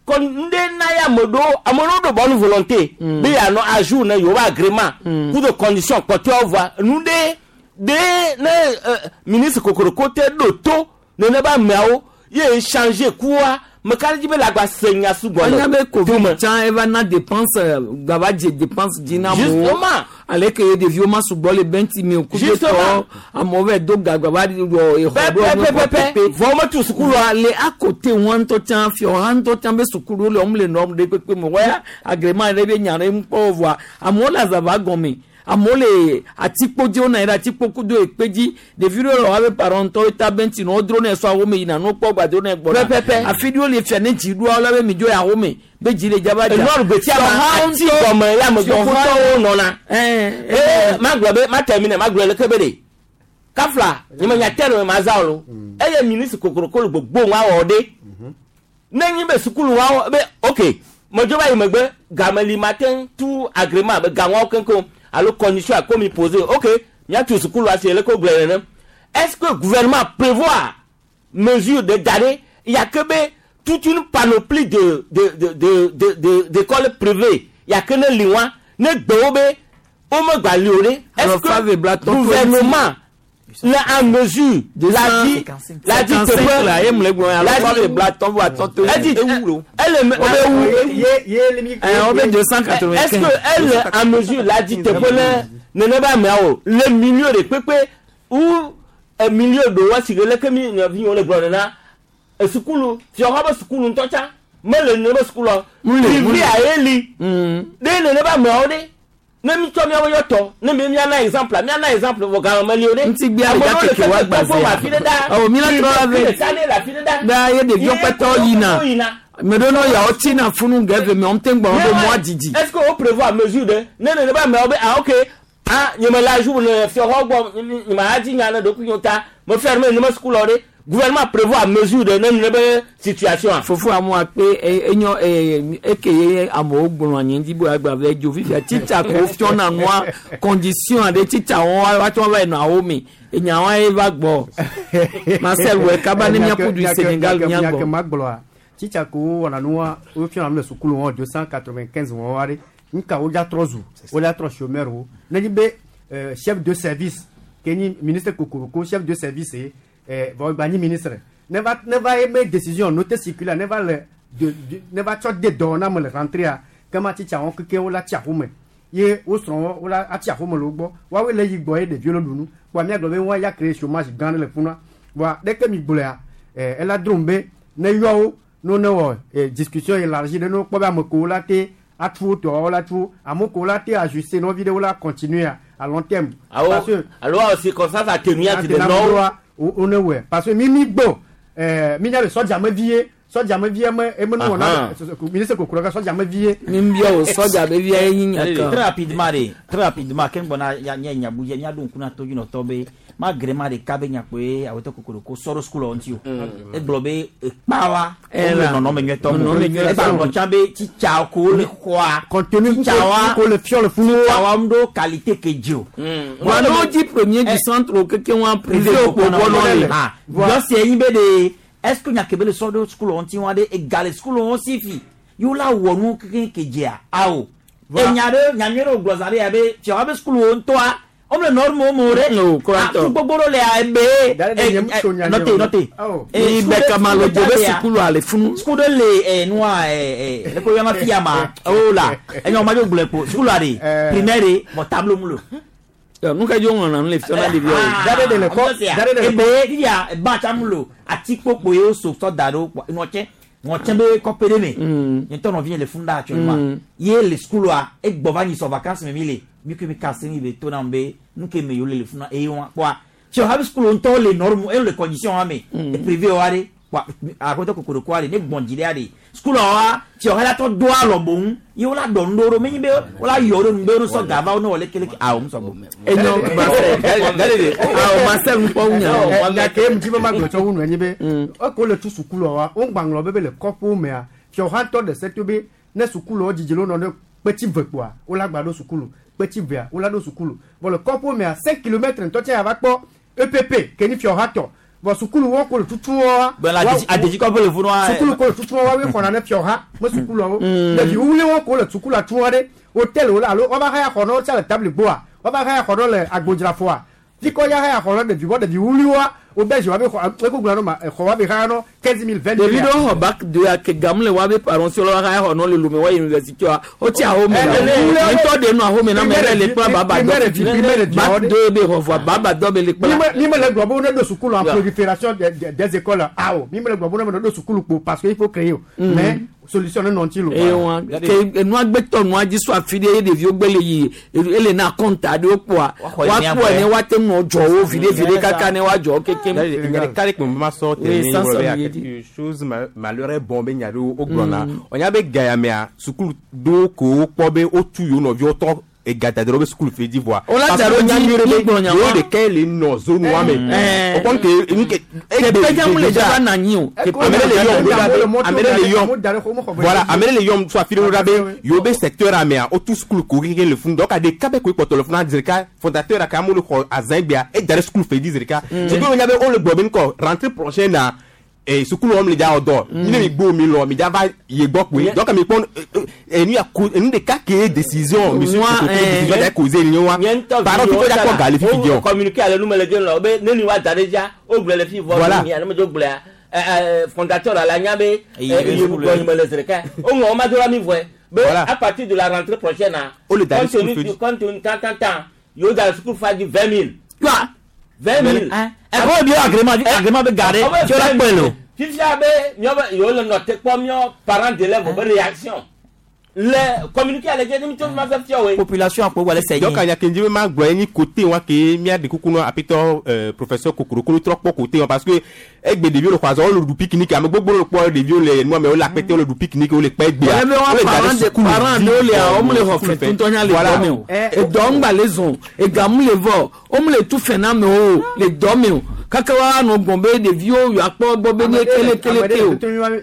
kɔ nu ɖe na ya ame ɖewo ame ɖewo ɖo bonne volonté be yanɔ à jour ne yewo be agrément kudo condition kpɔtɔewo voa nu ɖe ɖe ne euh, ministre kokoroko te ɖo to nene be ameawo ye changer kua meka ɖe dzi be le agba se nya sugbɔ anya le be Covid tsã eva na dépense gava dze dépense dzi na amewo Justement. ale ke ɖeviwo ma sugbɔ le bɛnti mi o ku Justement. tɔ amewo va do ga gava wɔ exɔ ɖo Pɛpɛpɛpɛ. Vɔ wometu sukulu wa le à côté wɔn ŋutɔ tsã fiɔ ŋutɔ tsã be sukulu le wɔm le nɔ ɖe kpekpe me wɔya agrément ɖe be nya ɖe ŋkpɔ voa amewo le azava gɔme, amewo le atikpo dzi, wonɔ anyi ɖe atikpo kudo ekpe dzi. Ɖevi ɖewo le woabe parents ŋutɔ ta bɛnti ne wodro ne sɔ awo me yina ne wokpɔ gbado ne gbɔna Pɛpɛpɛ. afi ɖewo le fia ne dzi ɖoa wo la be mi dzo ya wo me be dzi le dzaba dza. Enɔr gbetia ma ati gɔme ya ame gbɔkutɔwo nɔna. Ee magblɔ be ma termine magblɔ leke be ɖe kafla nye me nya terme ma za o lo eye ministre kokoroko le gbogbo ŋua wɔ ɖe ne nyi be sukulu wa wɔ be ok medzo va yi megbe game li ma te tu agrément be gaŋuawo keŋkeŋ alo condition a ko mi posé, ok miatu sukulu asi leke wogblɔ nene. Est-ce que gouvernement prévoit mesure de da ɖe ya ke be toute une panoplie de de de de de de d'écoles privées ya ke ne li wa ne gbewo be womegba li o ɖe, est-ce Alors, Fave que Blaton, gouvernement le en mesure la dit la dit cinquante-cinq la ye mle gblɔ alors la Fave dit Blaton voa tɔtɔ elle dit ewu lo. Elle ye Eh, on met deux cent quatre-vingt-quinze. Est-ce que elle est en mesure la dit teƒe ne nene be ameawo le milieu de kpekpe ou eh, milieu do wa si ge leke mi nɔvi le gblɔ nena esukulu fiɔxɔ be sukulu ŋutɔ tsã mele nene be sukulua Mule, mule. privé a ye li ɖe nene be ameawo ɖe ne mi tsɔ miawo yɔ tɔ ne mi miana exemple miana exemple vɔ game meli o ɖe Ŋutigbe ale dza keke wa gbazea. afi ɖe ɖa Ɔ, mi la trɔ la ve. ɖeka ɖe le afi ɖe ɖa Da ye ɖeviwo kpɛtɔ yina. yina. Ame ɖewo ne yawo tsina funu ge eve me wɔm te gbɔ be mɔa didi. Est-ce que o prévoit mesure de ne ne ne ba ameawo be ah ok ah nye me la jour ne fiɔxɔ gbɔ nye ma dzi nya ne ɖokui nye ta me ferme ne me sukulɔ ɖe gouvernement prévoit mesure de ne ne be situation a. Fofo amewo akpe e- enyo e- eke ye amewo gblɔ anyi ŋdi bo agba vɛ dzo fifia titsa ko fiɔna nua condition aɖe titsa wɔn woatsɔ va yi nɔ awo me enyawa ye va gbɔ Marcel wɔ kaba ne miaku du Sénégal miagbɔ miagbɔ. magblɔa titsa ko wɔna nua wofiɔna nu le sukulu wɔn deux cent quatre-vingt-quinze wɔn wa ɖe nka wo dza trɔ zu wo dza trɔ chômeur wo ne nyi be euh, chef de service ke nyi ministre kokoroko chef de service ye eh, vɔ gba nyi ministre ne va ne va ye be décision note circulaire ne va le de de ne va tsɔ de dɔwɔna me le rentrée a kema titsa wɔn keke wo la tsi aƒome ye wo srɔ̃ wo la atsi aƒome le wo gbɔ woawoe le yi gbɔ ye ɖeviwo le ɖu nu kpoa miagblɔ be wɔn ya créer chômage gã ɖe le funua voa ɖeke mi gblɔa eh, ela drom be ne yɔ wo ne ne wɔ eh, discussion élargie ɖe ne wokpɔ be ame kowo la te atu wo tɔwo la tu wo ame kowo la te ajuster nɔvi ɖewo la continuer à, à long terme. Awo Parce que- alo awo circonstance atténuante de nɔwo nɔwo. wo ne wɔe parce que mi mi gbɔ ɛɛ mi nya be sɔdza vie sɔdza me vie me eme nu wɔna Ahan. ministre kokoro ka sɔdza me vie. Mi bia o sɔdza be via ye nyi nya Très kan. rapidement de très rapidement ke ŋgbɔna ya nye nyabu dze miaɖo ŋku na todzinɔtɔ be ma grément ɖeka be nyakpoe awetɔ kokoroko sɔ ɖo sukulu ŋuti o egblɔ be ekpawa Ɛla. wole nɔnɔme nyuietɔ Nɔnɔme me nyuietɔ. eba gblɔ tsã be tsitsa ko le xɔa contenu tsitsawa ko le fiɔ le funu wa. tsitsawa ŋu ɖo qualité ke dzi o. Wa n'o di premier du centre o keke wa privé o ko bɔ nɔ le. Yɔsi enyi be de est ce que nyake be le sɔ ɖo sukulu ŋuti wa ɖe ega le sukulu ŋu si fi yewo la wɔ nu keke ke dzea awo enya ɖe nyanyui ɖe wògblɔ zã ɖe ya be fiawa be sukulu ŋutɔa wo Om le norme mo re. No, kura Tu gbogbo le a ebe. Note note. Ni bɛ kama lo jo bɛ sukulu ale funu. Sukulu le eh noa eh eh le ko yama fia ma. Oh la. Enyo ma jo gble ko. Sukulu ale primaire mo tableau mu lo. Nu ka jo ŋlɔna nu le fiɔ na ɖeviawo. Dare de le kɔ. Dare de le kɔ. Ebe ya ba chamulo ati kpokpo yo so so daro ŋɔtsɛ ŋɔtsɛ be kɔpe ɖe me. Nye tɔ nɔvi le funda actuellement. Ye le sukulu e gbɔ va nyi sɔ vacances me mi le. Mi ke mi kase mi be to na be nu ke me yo le le funa eye wa kpɔa. Tso habi sukulu ŋutɔ le norme e le condition wa me. E privé wa de kpɔa akɔtɔ kokoroko wa de ne gbɔn dzi ɖe de. Sukulu wa tso ha la tɔ do alɔ boŋ ye wola dɔ nu ɖo menyi be wola yɔ ɖo nu be wosɔ gava wo ne wòle keleke awo musɔ gbɔ. Enyo Marcel awo Marcel ŋkpɔ wunya. Nya ke ŋuti be ma gblɔ tsɔ wu nu enyi be eko le tu sukulu wa wo ŋgba ŋlɔ be be le kɔƒewo mea fiɔhatɔ ɖe se to be ne sukuluwo dzidzi lo nɔ ne kpetsi ve kpoa wola gba ɖo sukulu kpetsi vea wola ɖo sukulu vɔ le kɔƒewo mea cinq kilomètres ŋutɔ tse yava kpɔ E P P ke ni fiɔhatɔ vɔ sukulu wo ko le tutu wa. Bɔn adedzi kɔƒe le funu wa. Sukulu ko le tutu wa woe xɔna ne fiɔha me sukuluawo ɖevi wuli wo ko le sukulua tu wa ɖe hôtel wo alo woava haya xɔ ne wo tsa le tabli gbɔa woava haya xɔ ne le agbodzrafoa fikɔ ya haya xɔ ne ɖevi bɔ ɖevi wuli wa wo bɛ zi wa be xɔ eko gblɔ no ma xɔ wa be haya nɔ quinze mille vingt mille. Ɖevi ɖewo xɔ bac deux a ke gamu le wa be parents si wa haya xɔ nɔ le lome wa université wa wo tsi ahome na ŋutɔ de nɔ ahome na me yɛrɛ le kpla baba dɔ bac deux be xɔ vɔa baba dɔ be le kpla. Mi me le gblɔ be wo ne ɖo sukulu en prolifération des des écoles awo mi me le gblɔ be wo ne ɖo sukulu kpo parce que il faut créer o mais solution ne nɔ ŋuti lo. Eye wa ke enua gbetɔ nua dzi so afi ɖe ye ɖeviwo gbe le yi ele na kɔnta ɖewo kpoa wa kpɔe ne woate ŋu nɔ dzɔ wo viɖe viɖe kaka ne woadzɔ wo kekem. Nya ɖeka ɖe kpe ma sɔ Oui, tɛ sans ne sɔ be quelque chose malheur est bon be nya ɖewo wogblɔna ɔnya be gayamea sukulu ɖewo ko wokpɔ be wotu yewo nɔviwo tɔ egadada ɖe wobe sukulu fe dzi vɔa. Wola da ɖo dzi mi gblɔ nya yewo wa. ɖeka le nɔ zone wa me. Mm. O kɔn ke nu ke. Teƒe dza mu le dza va na anyi o. Ame ɖe le yɔm ɖo ɖa be ame ɖe le yɔm voilà ame ɖe le yɔm so afi ɖe ɖo ɖa be yewo be secteur amea wotu sukulu ko keke le funu donc ɖeka be koe kpɔtɔ le funu zi ɖeka fondateur aka amewo le xɔ azã gbea eda ɖe sukulu fe dzi zi ɖeka. C'est que wonya be wole gblɔ be ŋkɔ rentrée prochaine na eh, sukulu wɔm le dza wɔ dɔ mi ne mi gbó mi lɔ mi dza va ye gbɔ kpoe donc mi kpɔ enu ya ko enu ɖeka ke ye décision monsieur Moi, Koko eh, décision dza causé ni wa parents fi ko dza kpɔ gali fifi o diɔ. Communiqué ale numele dze lɔ be ne ni wa da ɖe dzia o gblɔ le fi vɔ Voilà. mi ane me dzo gblɔa ɛ ɛ fondateur la nya be Eyi ɛ be iye sukulu gbɔ nyime le zi ɖeka o ŋlɔ o ma do la mi vɔe be Voilà. à partir de la rentrée prochaine na O le da ɖe compte sukulu tenu fe dzi. compte tenu tan tan tan yewo da ɖe sukulu fa dzi vingt mille vingt mille. Ɛkɔ bi agrément agrément be ga ɖe tso la kpɔe lo. Fifia be miɔ be yewo le nɔ te kpɔ miɔ parents d'élèves be réaction le communiqué ale dze ne mi to ma fɛ fia woe. Population akpɔ wale sɛ Donc anya kenji be ma gblɔ ye ni côté wa ke mía ɖe kuku nɔ apetɔ euh, professeur Kokoroko trɔ kpɔ côté wa parce que egbe ɖeviwo le xɔ azɔ wole ɖu pique-nique ame gbogbo le kpɔ ɖeviwo le nua me wole akpete wole ɖu pique-nique wole kpɛ egbea. Wòle be wa Wole da ɖe parents de sukulu parents dzi ɖewo lea vɔ, wo mu le xɔ sukulu fɛ fɛ. ŋutɔ nya le Voilà. dɔ me o. Edɔ ŋgba le zɔn egamu le vɔ wo mu le tu fɛ na amewo o le dɔ me o kaka wa nɔ gbɔn be ɖeviwo yewoakpɔ gbɔ be ne kele kele ke o.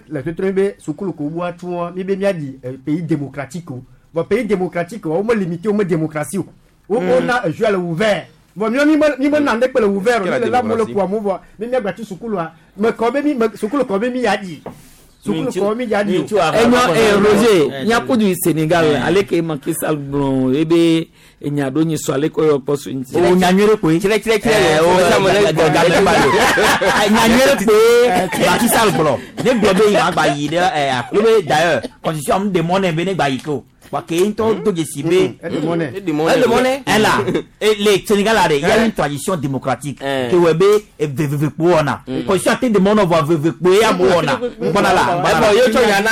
Le tutu be sukulu ko bu atu wa mi be mia di eh, pays démocratique o bon pays démocratique o me limité o me démocratie o o o na jeu le ouvert bon mi mi mi me na ndekpe le ouvert o mi le la mo le ku amu vɔ mi mia gba tu sukulu wa me kɔ be mi me sukulu kɔ be mi ya di sukulu kɔ mi ya di o. Enyo eh, Roger nyakudu Sénégal ale ke Macky Sall gblɔ ebe enya ɖo nyi sɔ ale ke yɔ kpɔ so ŋuti. O nyanyuie ɖe koe. Tsrɛ tsrɛ tsrɛ Eh, o nyanyuie ɖe koe Macky Sall gblɔ ne gblɔ be yi ma gba yi ɖe ɛ aklo be d'ailleurs constitution mu demɔ nɛ be ne gba yi ke o wa ke ŋutɔ do dzesi be. Edemɔ Ɛla le Sénégal la de il y a une tradition démocratique ke wɔ be veveve kpo wɔna constitution ate demɔ nɔ vɔ veveve kpo ye amewo wɔna ŋgbɔna la ŋgbɔna la Ɛbɔ ye tsɔ nya na.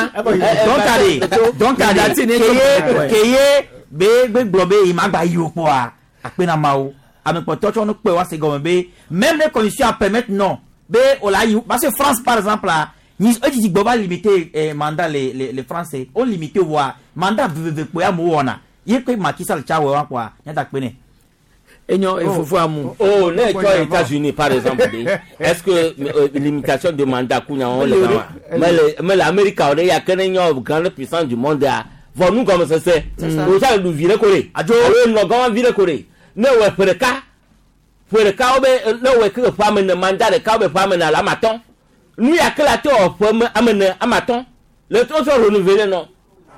Donc ale donc ale keye keye be be gblɔ be yi ma gba yi o kpɔa akpe na mawo ame kpɔtɔ tsɔ nu kpe wa se gɔme be même les conditions à permettre non be o la yi parce que France par exemple la ni edzidzi gbɔ va limiter eh, mandat les les les Français o limiter voa mandat veveve kpo ya amewo wɔna ye ke Macky Sall tsa wɔ wa kpɔa nyata kpe nɛ. Enyo efofo amu. Oh, ne tsɔ États-Unis par exemple de est-ce que euh, limitation de mandat kunya wɔn le kama mais le mais l'Amérique o de ya ke ne nyɔ grande puissance du monde a vɔ nu gɔme sese o sa lu vi ɖe ko de Adzo. alo nɔ gɔmɔ vi ɖe ko de ne wɔ ƒe ɖeka ƒe ɖeka wo be ne wɔ ke ƒe ame ne mandat ɖeka wo be ƒe ame ne alo ame atɔ̃ nu ya ke la te wɔ ƒe me ame ne ame atɔ̃ le to sɔ renouveler nɔ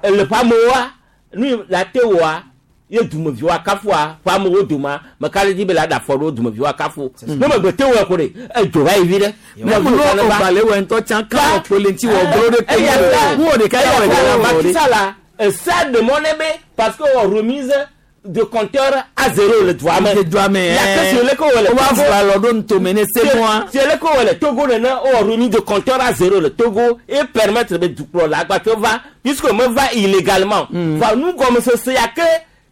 le ƒe amewoa nu la te wɔa ye dumeviwo akafua ƒe amewo doma meka ɖe dzi be la ɖe afɔ ɖo dumeviwo akafu ne megbe te wɔ ko ɖe edzo va yi vi ɖe. Ne mu no ogbalẽ wɔ ŋutɔ tsã kan wɔ kpole ŋuti wɔ glo ɖe eya ta nu wɔ ɖeka ya wɔ ɖeka la wɔ ɖe. Macky Sall esa de mɔ ne be parce que wɔ remise de compteur à zéro le dua me. Le dua me, Ya ke si le ko wɔ le Wo va Togo- fɔ alɔ ɖo ŋutome ne se mɔa. Si le ko wɔ le Togo nene wɔ remise de compteur à zéro le Togo et permettre be dukplɔla agbatɔ va puisque me va illégalement. Va nu gɔmesese ya ke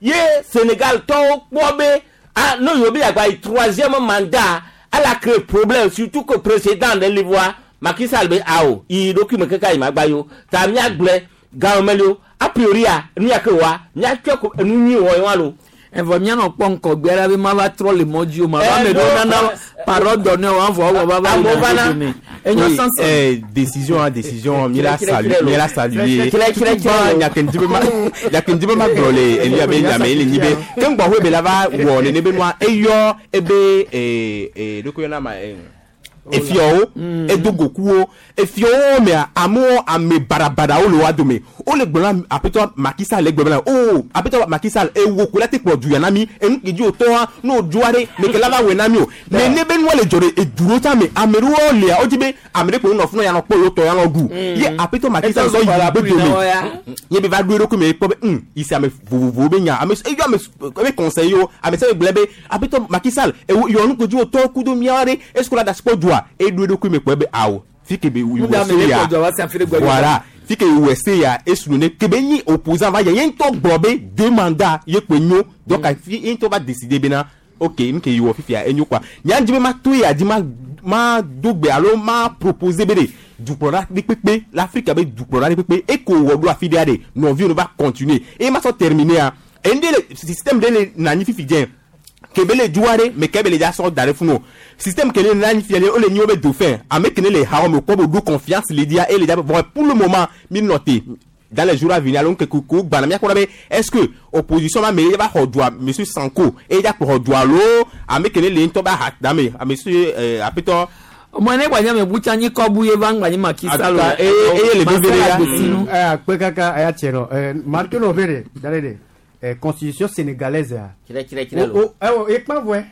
ye Sénégal tɔwo kpɔ be ah ne yewo be yagba yi troisième mandat ala créé problème surtout que président de l'Ivoire Macky Sall be awo yi ɖokui me keka yi ma gba yo ta miagblẽ gawomeli a priori a nu ya ke wa miatsɔ ko enu nyui wɔ ye wa lo. Evɔ mianɔ kpɔ ŋkɔgbe ɖa be ma va trɔ le mɔ dzi o ma va Eh, ame ɖewo no, nana parole donnée o avɔ wɔ va va Amewo yina va na. dome. Enyo Oui, sansan. eh, décision hein, décision mi la Tire, saluer tire, mi la saluer Tire, tire, tire. nyakendi be ma nyakendi be ma gblɔ le enu ya be nyame ele nyi be ke ŋgbɔ hoe be la va wɔ nene be nua eyɔ ebe ee ee ɖoko yɔna ma ee efiɔwo edo gokuwo efiɔwo mea amewo ame baɖabaɖawo le wa dome wole gblɔ na aƒetɔ Macky Sall le gblɔ bena o aƒetɔ Macky Sall ewo ko la te kplɔ du ya na mi enu ke dzi wòtɔa ne wòdzoa ɖe meke la va wɔe na mi o nene be nua le dzɔ ɖe edu ɖewo tsã me ame ɖewo lia wodzi be ame ɖe kpo nɔ funu ya nɔ kpɔ yewo tɔ ya nɔ ɖu ye aƒetɔ Macky Sall sɔ yi be dome ye be va ɖo eɖokui me kpɔ be hum yi se ame vovovowo be nya ame eyɔ ame ebe conseil wo ame sia ame gblɔ be aƒetɔ Macky Sall ewo yɔ nu kodzo wòtɔ kudo miawo ɖe est ce que la da si kpɔ dua eɖo eɖokui me kpɔ be awo fi ke be Nu da ame wɔ ɖe se ya kpɔ dua va se afi ɖe gbɔ. voilà fi ke wɔ se ya esu ne ke be nyi opposant va yɛ ye ŋutɔ gblɔ be deux mandats ye kpe nyo donc fi ye ŋutɔ va décider bena ok nu ke yi wɔ fifia enyo quoi nya dzi be ma to ya dzi ma ma do gbe alo ma proposer be de dukplɔla ɖe kpekpe l'Afrique be dukplɔla ɖe kpekpe eko wɔ ɖo afi ɖea ɖe nɔviwo no va continuer eye ma sɔ terminer enu ɖe le système ɖe le na anyi fifi dze kebe le dua ɖe me kebe le dza sɔ da ɖe funu o système ke le na anyi fia le wo le nyi wo be dauphin ame ke ne le ha me kpɔ be ɖo confiance le dia eye le dza be bon pour le moment mi nɔ te dans les jours à venir alo ŋkeke ko gbana miakpɔ ɖa be est ce que opposition ma me ye va xɔ dua monsieur Sanko eye dza kplɔ xɔ dua alo ame ke ne le ŋutɔ be aha da me monsieur euh, aƒetɔ Mɔ ne gbanya me butsa nyi kɔbu ye va ŋgba nyi Macky Sall o. Ata, eye eye le veve ɖe ya. Eh, akpe kaka eya tiɛ nɔ eh, marke nɔ be de dale de eh, constitution sénégalaise ya. Tire, tire, tire, O o eh, ekpa vɔɛ.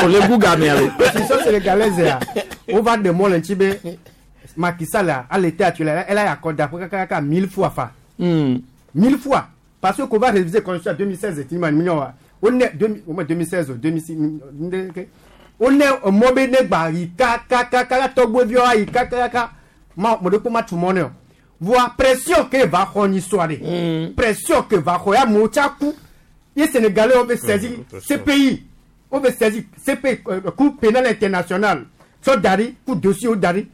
O le gu game alo. Constitution sénégalaise ya o va de mɔ le ŋuti be Macky Sall a à l'état actuel elle a accordé akpe kaka kaka mille fois fa. Hmm. Mille fois parce que qu'on va réviser constitution en deux mille seize ti ma ni wa o ne deux au moins deux mille seize deux mille six o ne mɔ be ne gba yi kakakaka tɔgbeviwo ayi kakakaka ma mo de ko ma tu mɔ ne o voa pression ke va xɔ nyi soa de pression ke va xɔ ya amewo tsa ku ye sénégalais wo be saisir ce pays wo be saisir ce pays euh, cour pénale internationale sɔ da ɖi ku dossier wo da ɖi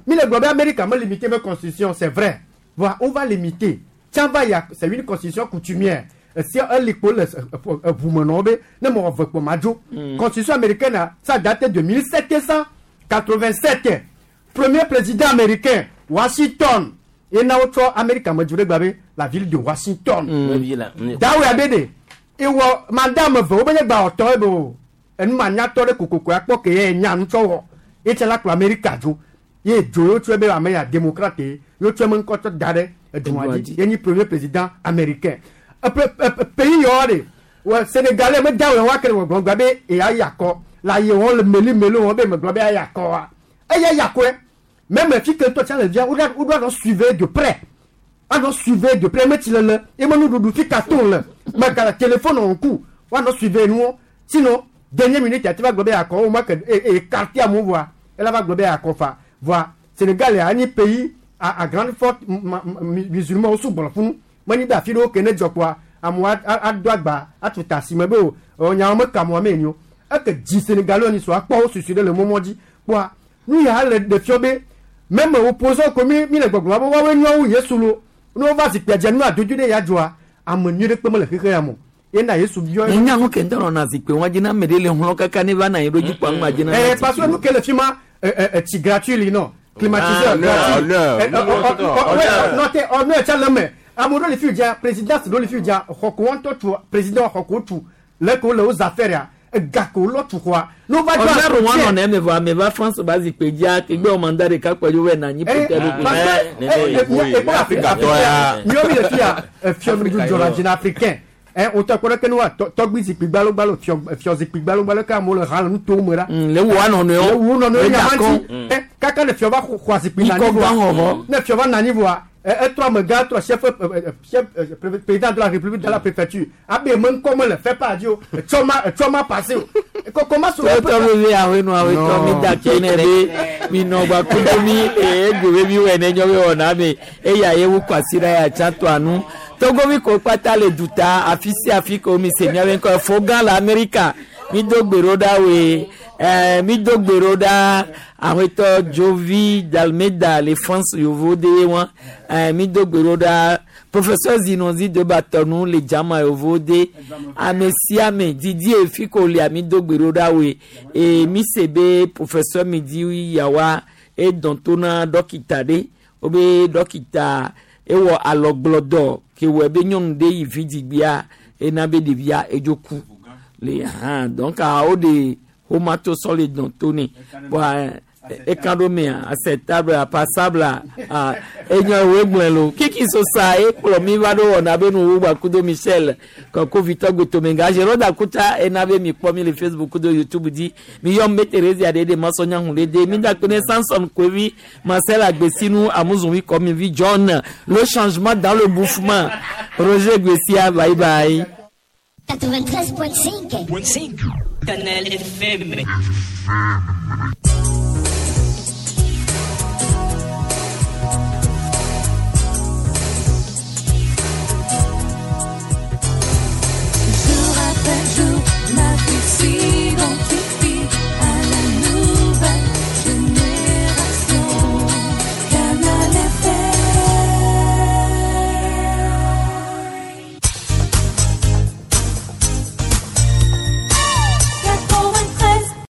mi le gblɔ be Amérique me limiter be constitution c'est vrai voa on va limiter tsã va ya c'est une constitution coutumière esi elikpo le ʋumenɔwo be ne mɔ eve kpɔ ma dzo constitution américaine ça date de mille sept cent quatre-vingt-sept premier président américain Washington ye na wotsɔ Amérique amedzo ɖe gba be la ville de Washington dawe abe de ewɔ mandat ame eve wobe nye gba wɔtɔ ebe o enumanyatɔ ɖe kokoko akpɔ ke ye nya nutsɔ wɔ ye tse la kplɔ Amérique dzo ye dzo ye wotsɔe be ame ya démocrate ye wotsɔe me ŋkɔ tsɔ da ɖe edua dzi ye nyi premier président américain epe epe pays yawo de wɔ sénégalais me dawe wa ke wɔ gblɔ gba be eya yi akɔ le ayi wɔn le meli meli wɔn be me gblɔ be eya yi akɔ wa eya yi akɔe même fi ke tɔ tsa le via wo ɖo wo ɖo anɔ suivre de près anɔ suivre de près metsi le le ye me nuɖuɖu fi ka to le me ga téléphone en coup woanɔ suivre nuwo sinon dernière minute ati va gblɔ be akɔ wo ma ke e écarté amewo voa ela va gblɔ be akɔ fa voa Sénégal ya anyi pays à à grande forte musulman wo sugbɔ le funu menyi be afi ɖewo ke ne dzɔ kpoa amewo ado agba atu ta asi me be o nyawo me ka amewo me nyo eke dzi Sénégalais ni so akpɔ wo susu ɖe le mɔmɔ dzi kpoa nu ya le ɖe fia be même opposant ko mi mi le gbɔgblɔ be woawoe nyɔ wu Yesu lo ne wova zikpuia dze nu adodo ɖe ya dzɔa ame nyui ɖe kpe mele xexe ya me o yena Yesu biɔ. Ne nya ŋu ke ŋutɔ nɔna zikpui wọn dzi na ame ɖe le hlɔ kaka ne va na anyi ɖo dzi kpɔa ŋgba dzi na. Eh, parce que nu ke le fi ma etsi gratuit li nɔ climatiseur Ah, gratuit. non, Eh, non, ɔ- ɔ- non, ɔ- ouais, non. nɔ te ɔnɔ tsa le me ame ɖewo le fi dza présidence ɖewo le fi dza xɔko ŋutɔ tu président xɔko tu le ko le wo affaire ya Egako lɔ tu xɔa. N'o va jɔ ɔnà wọn nɔ nɛ mɛ vɔ ame va France ba zikpui dzia kegbe wɔ mandat ɖeka kpɔ dzo wɛ na anyi peut-être Eh, parce que eh, eh, eh, Afrika tɔ ya miɔ mi le fi ya fiɔ dzɔna africain ɛ o tɔ kpɔ ɖe ke ne wa tɔgbi zikpui gbalogbalo fiɔ fiɔ zikpui gbalogbalo ke amewo le ha le nutowo me ɖa. Le wo anɔnɔewo le wo nɔnɔewo Le nyama dakɔ. ŋuti ɛ kaka ne fiɔ va xɔ xɔ zikpui na Nyikɔ anyi gã vɔa xɔxɔ. ne fiɔ va na anyi vɔa ɛ etrɔ amegã trɔ chef ɛ, ɛ, chef ɛ, pré- président de la république de la préfecture abe me ŋkɔ me le fait pas di o etsɔ ma etsɔ ma passé o ko comment so. tɔtɔ mi be awo nu awo tɔ mi da ke ne be mi nɔ gba kudo mi eye egbe be mi wɔ ne nyɔ be wɔna me eya ye wu kwasi ɖe ya tsa to anu togo mi ko kpata le duta afi sia afi ko mi se miabe ŋkɔ fo gã le Amerika mi do gbe ɖo ɖa woe ɛɛ mi do gbe ɖo ɖa awetɔ Jovi Dalmeda le France yovo de wɔn ɛɛ mi do gbe ɖo ɖa professeur Zinozi de Batɔnu le jama yovo de ame sia ame didi efi ko lia mi do gbe ɖo ɖa woe eye mi se be professeur mi di yawa edɔn to na dɔkita ɖe wobe dɔkita ewɔ alɔgblɔdɔ ke wɔ be nyɔnu ɖe yi vidzigbea ena be ɖevia edzo ku le hã donc ah, wo de homato sɔ le dɔn to ne bɔn ekan ɖo mea acceptable passable ah enyo ewo gblẽ lo kiki sosa ekplɔ mi va ɖo wɔna be nuwu gba kudo Michel kɔkɔ Victor Gotomenga Jérôme Dakuta ena be mi kpɔ mi le Facebook kudo YouTube dzi mi yɔm be Thérésia ɖe ɖe masɔnya hun ɖe de mi da kpe ne Samson Koevi Marcel Agbesinu Amuzunwi Kɔmivi John le changement dans le bouffement Roger Gbessia bye bye. quatre-vingt-treize point cinq. Canal F M.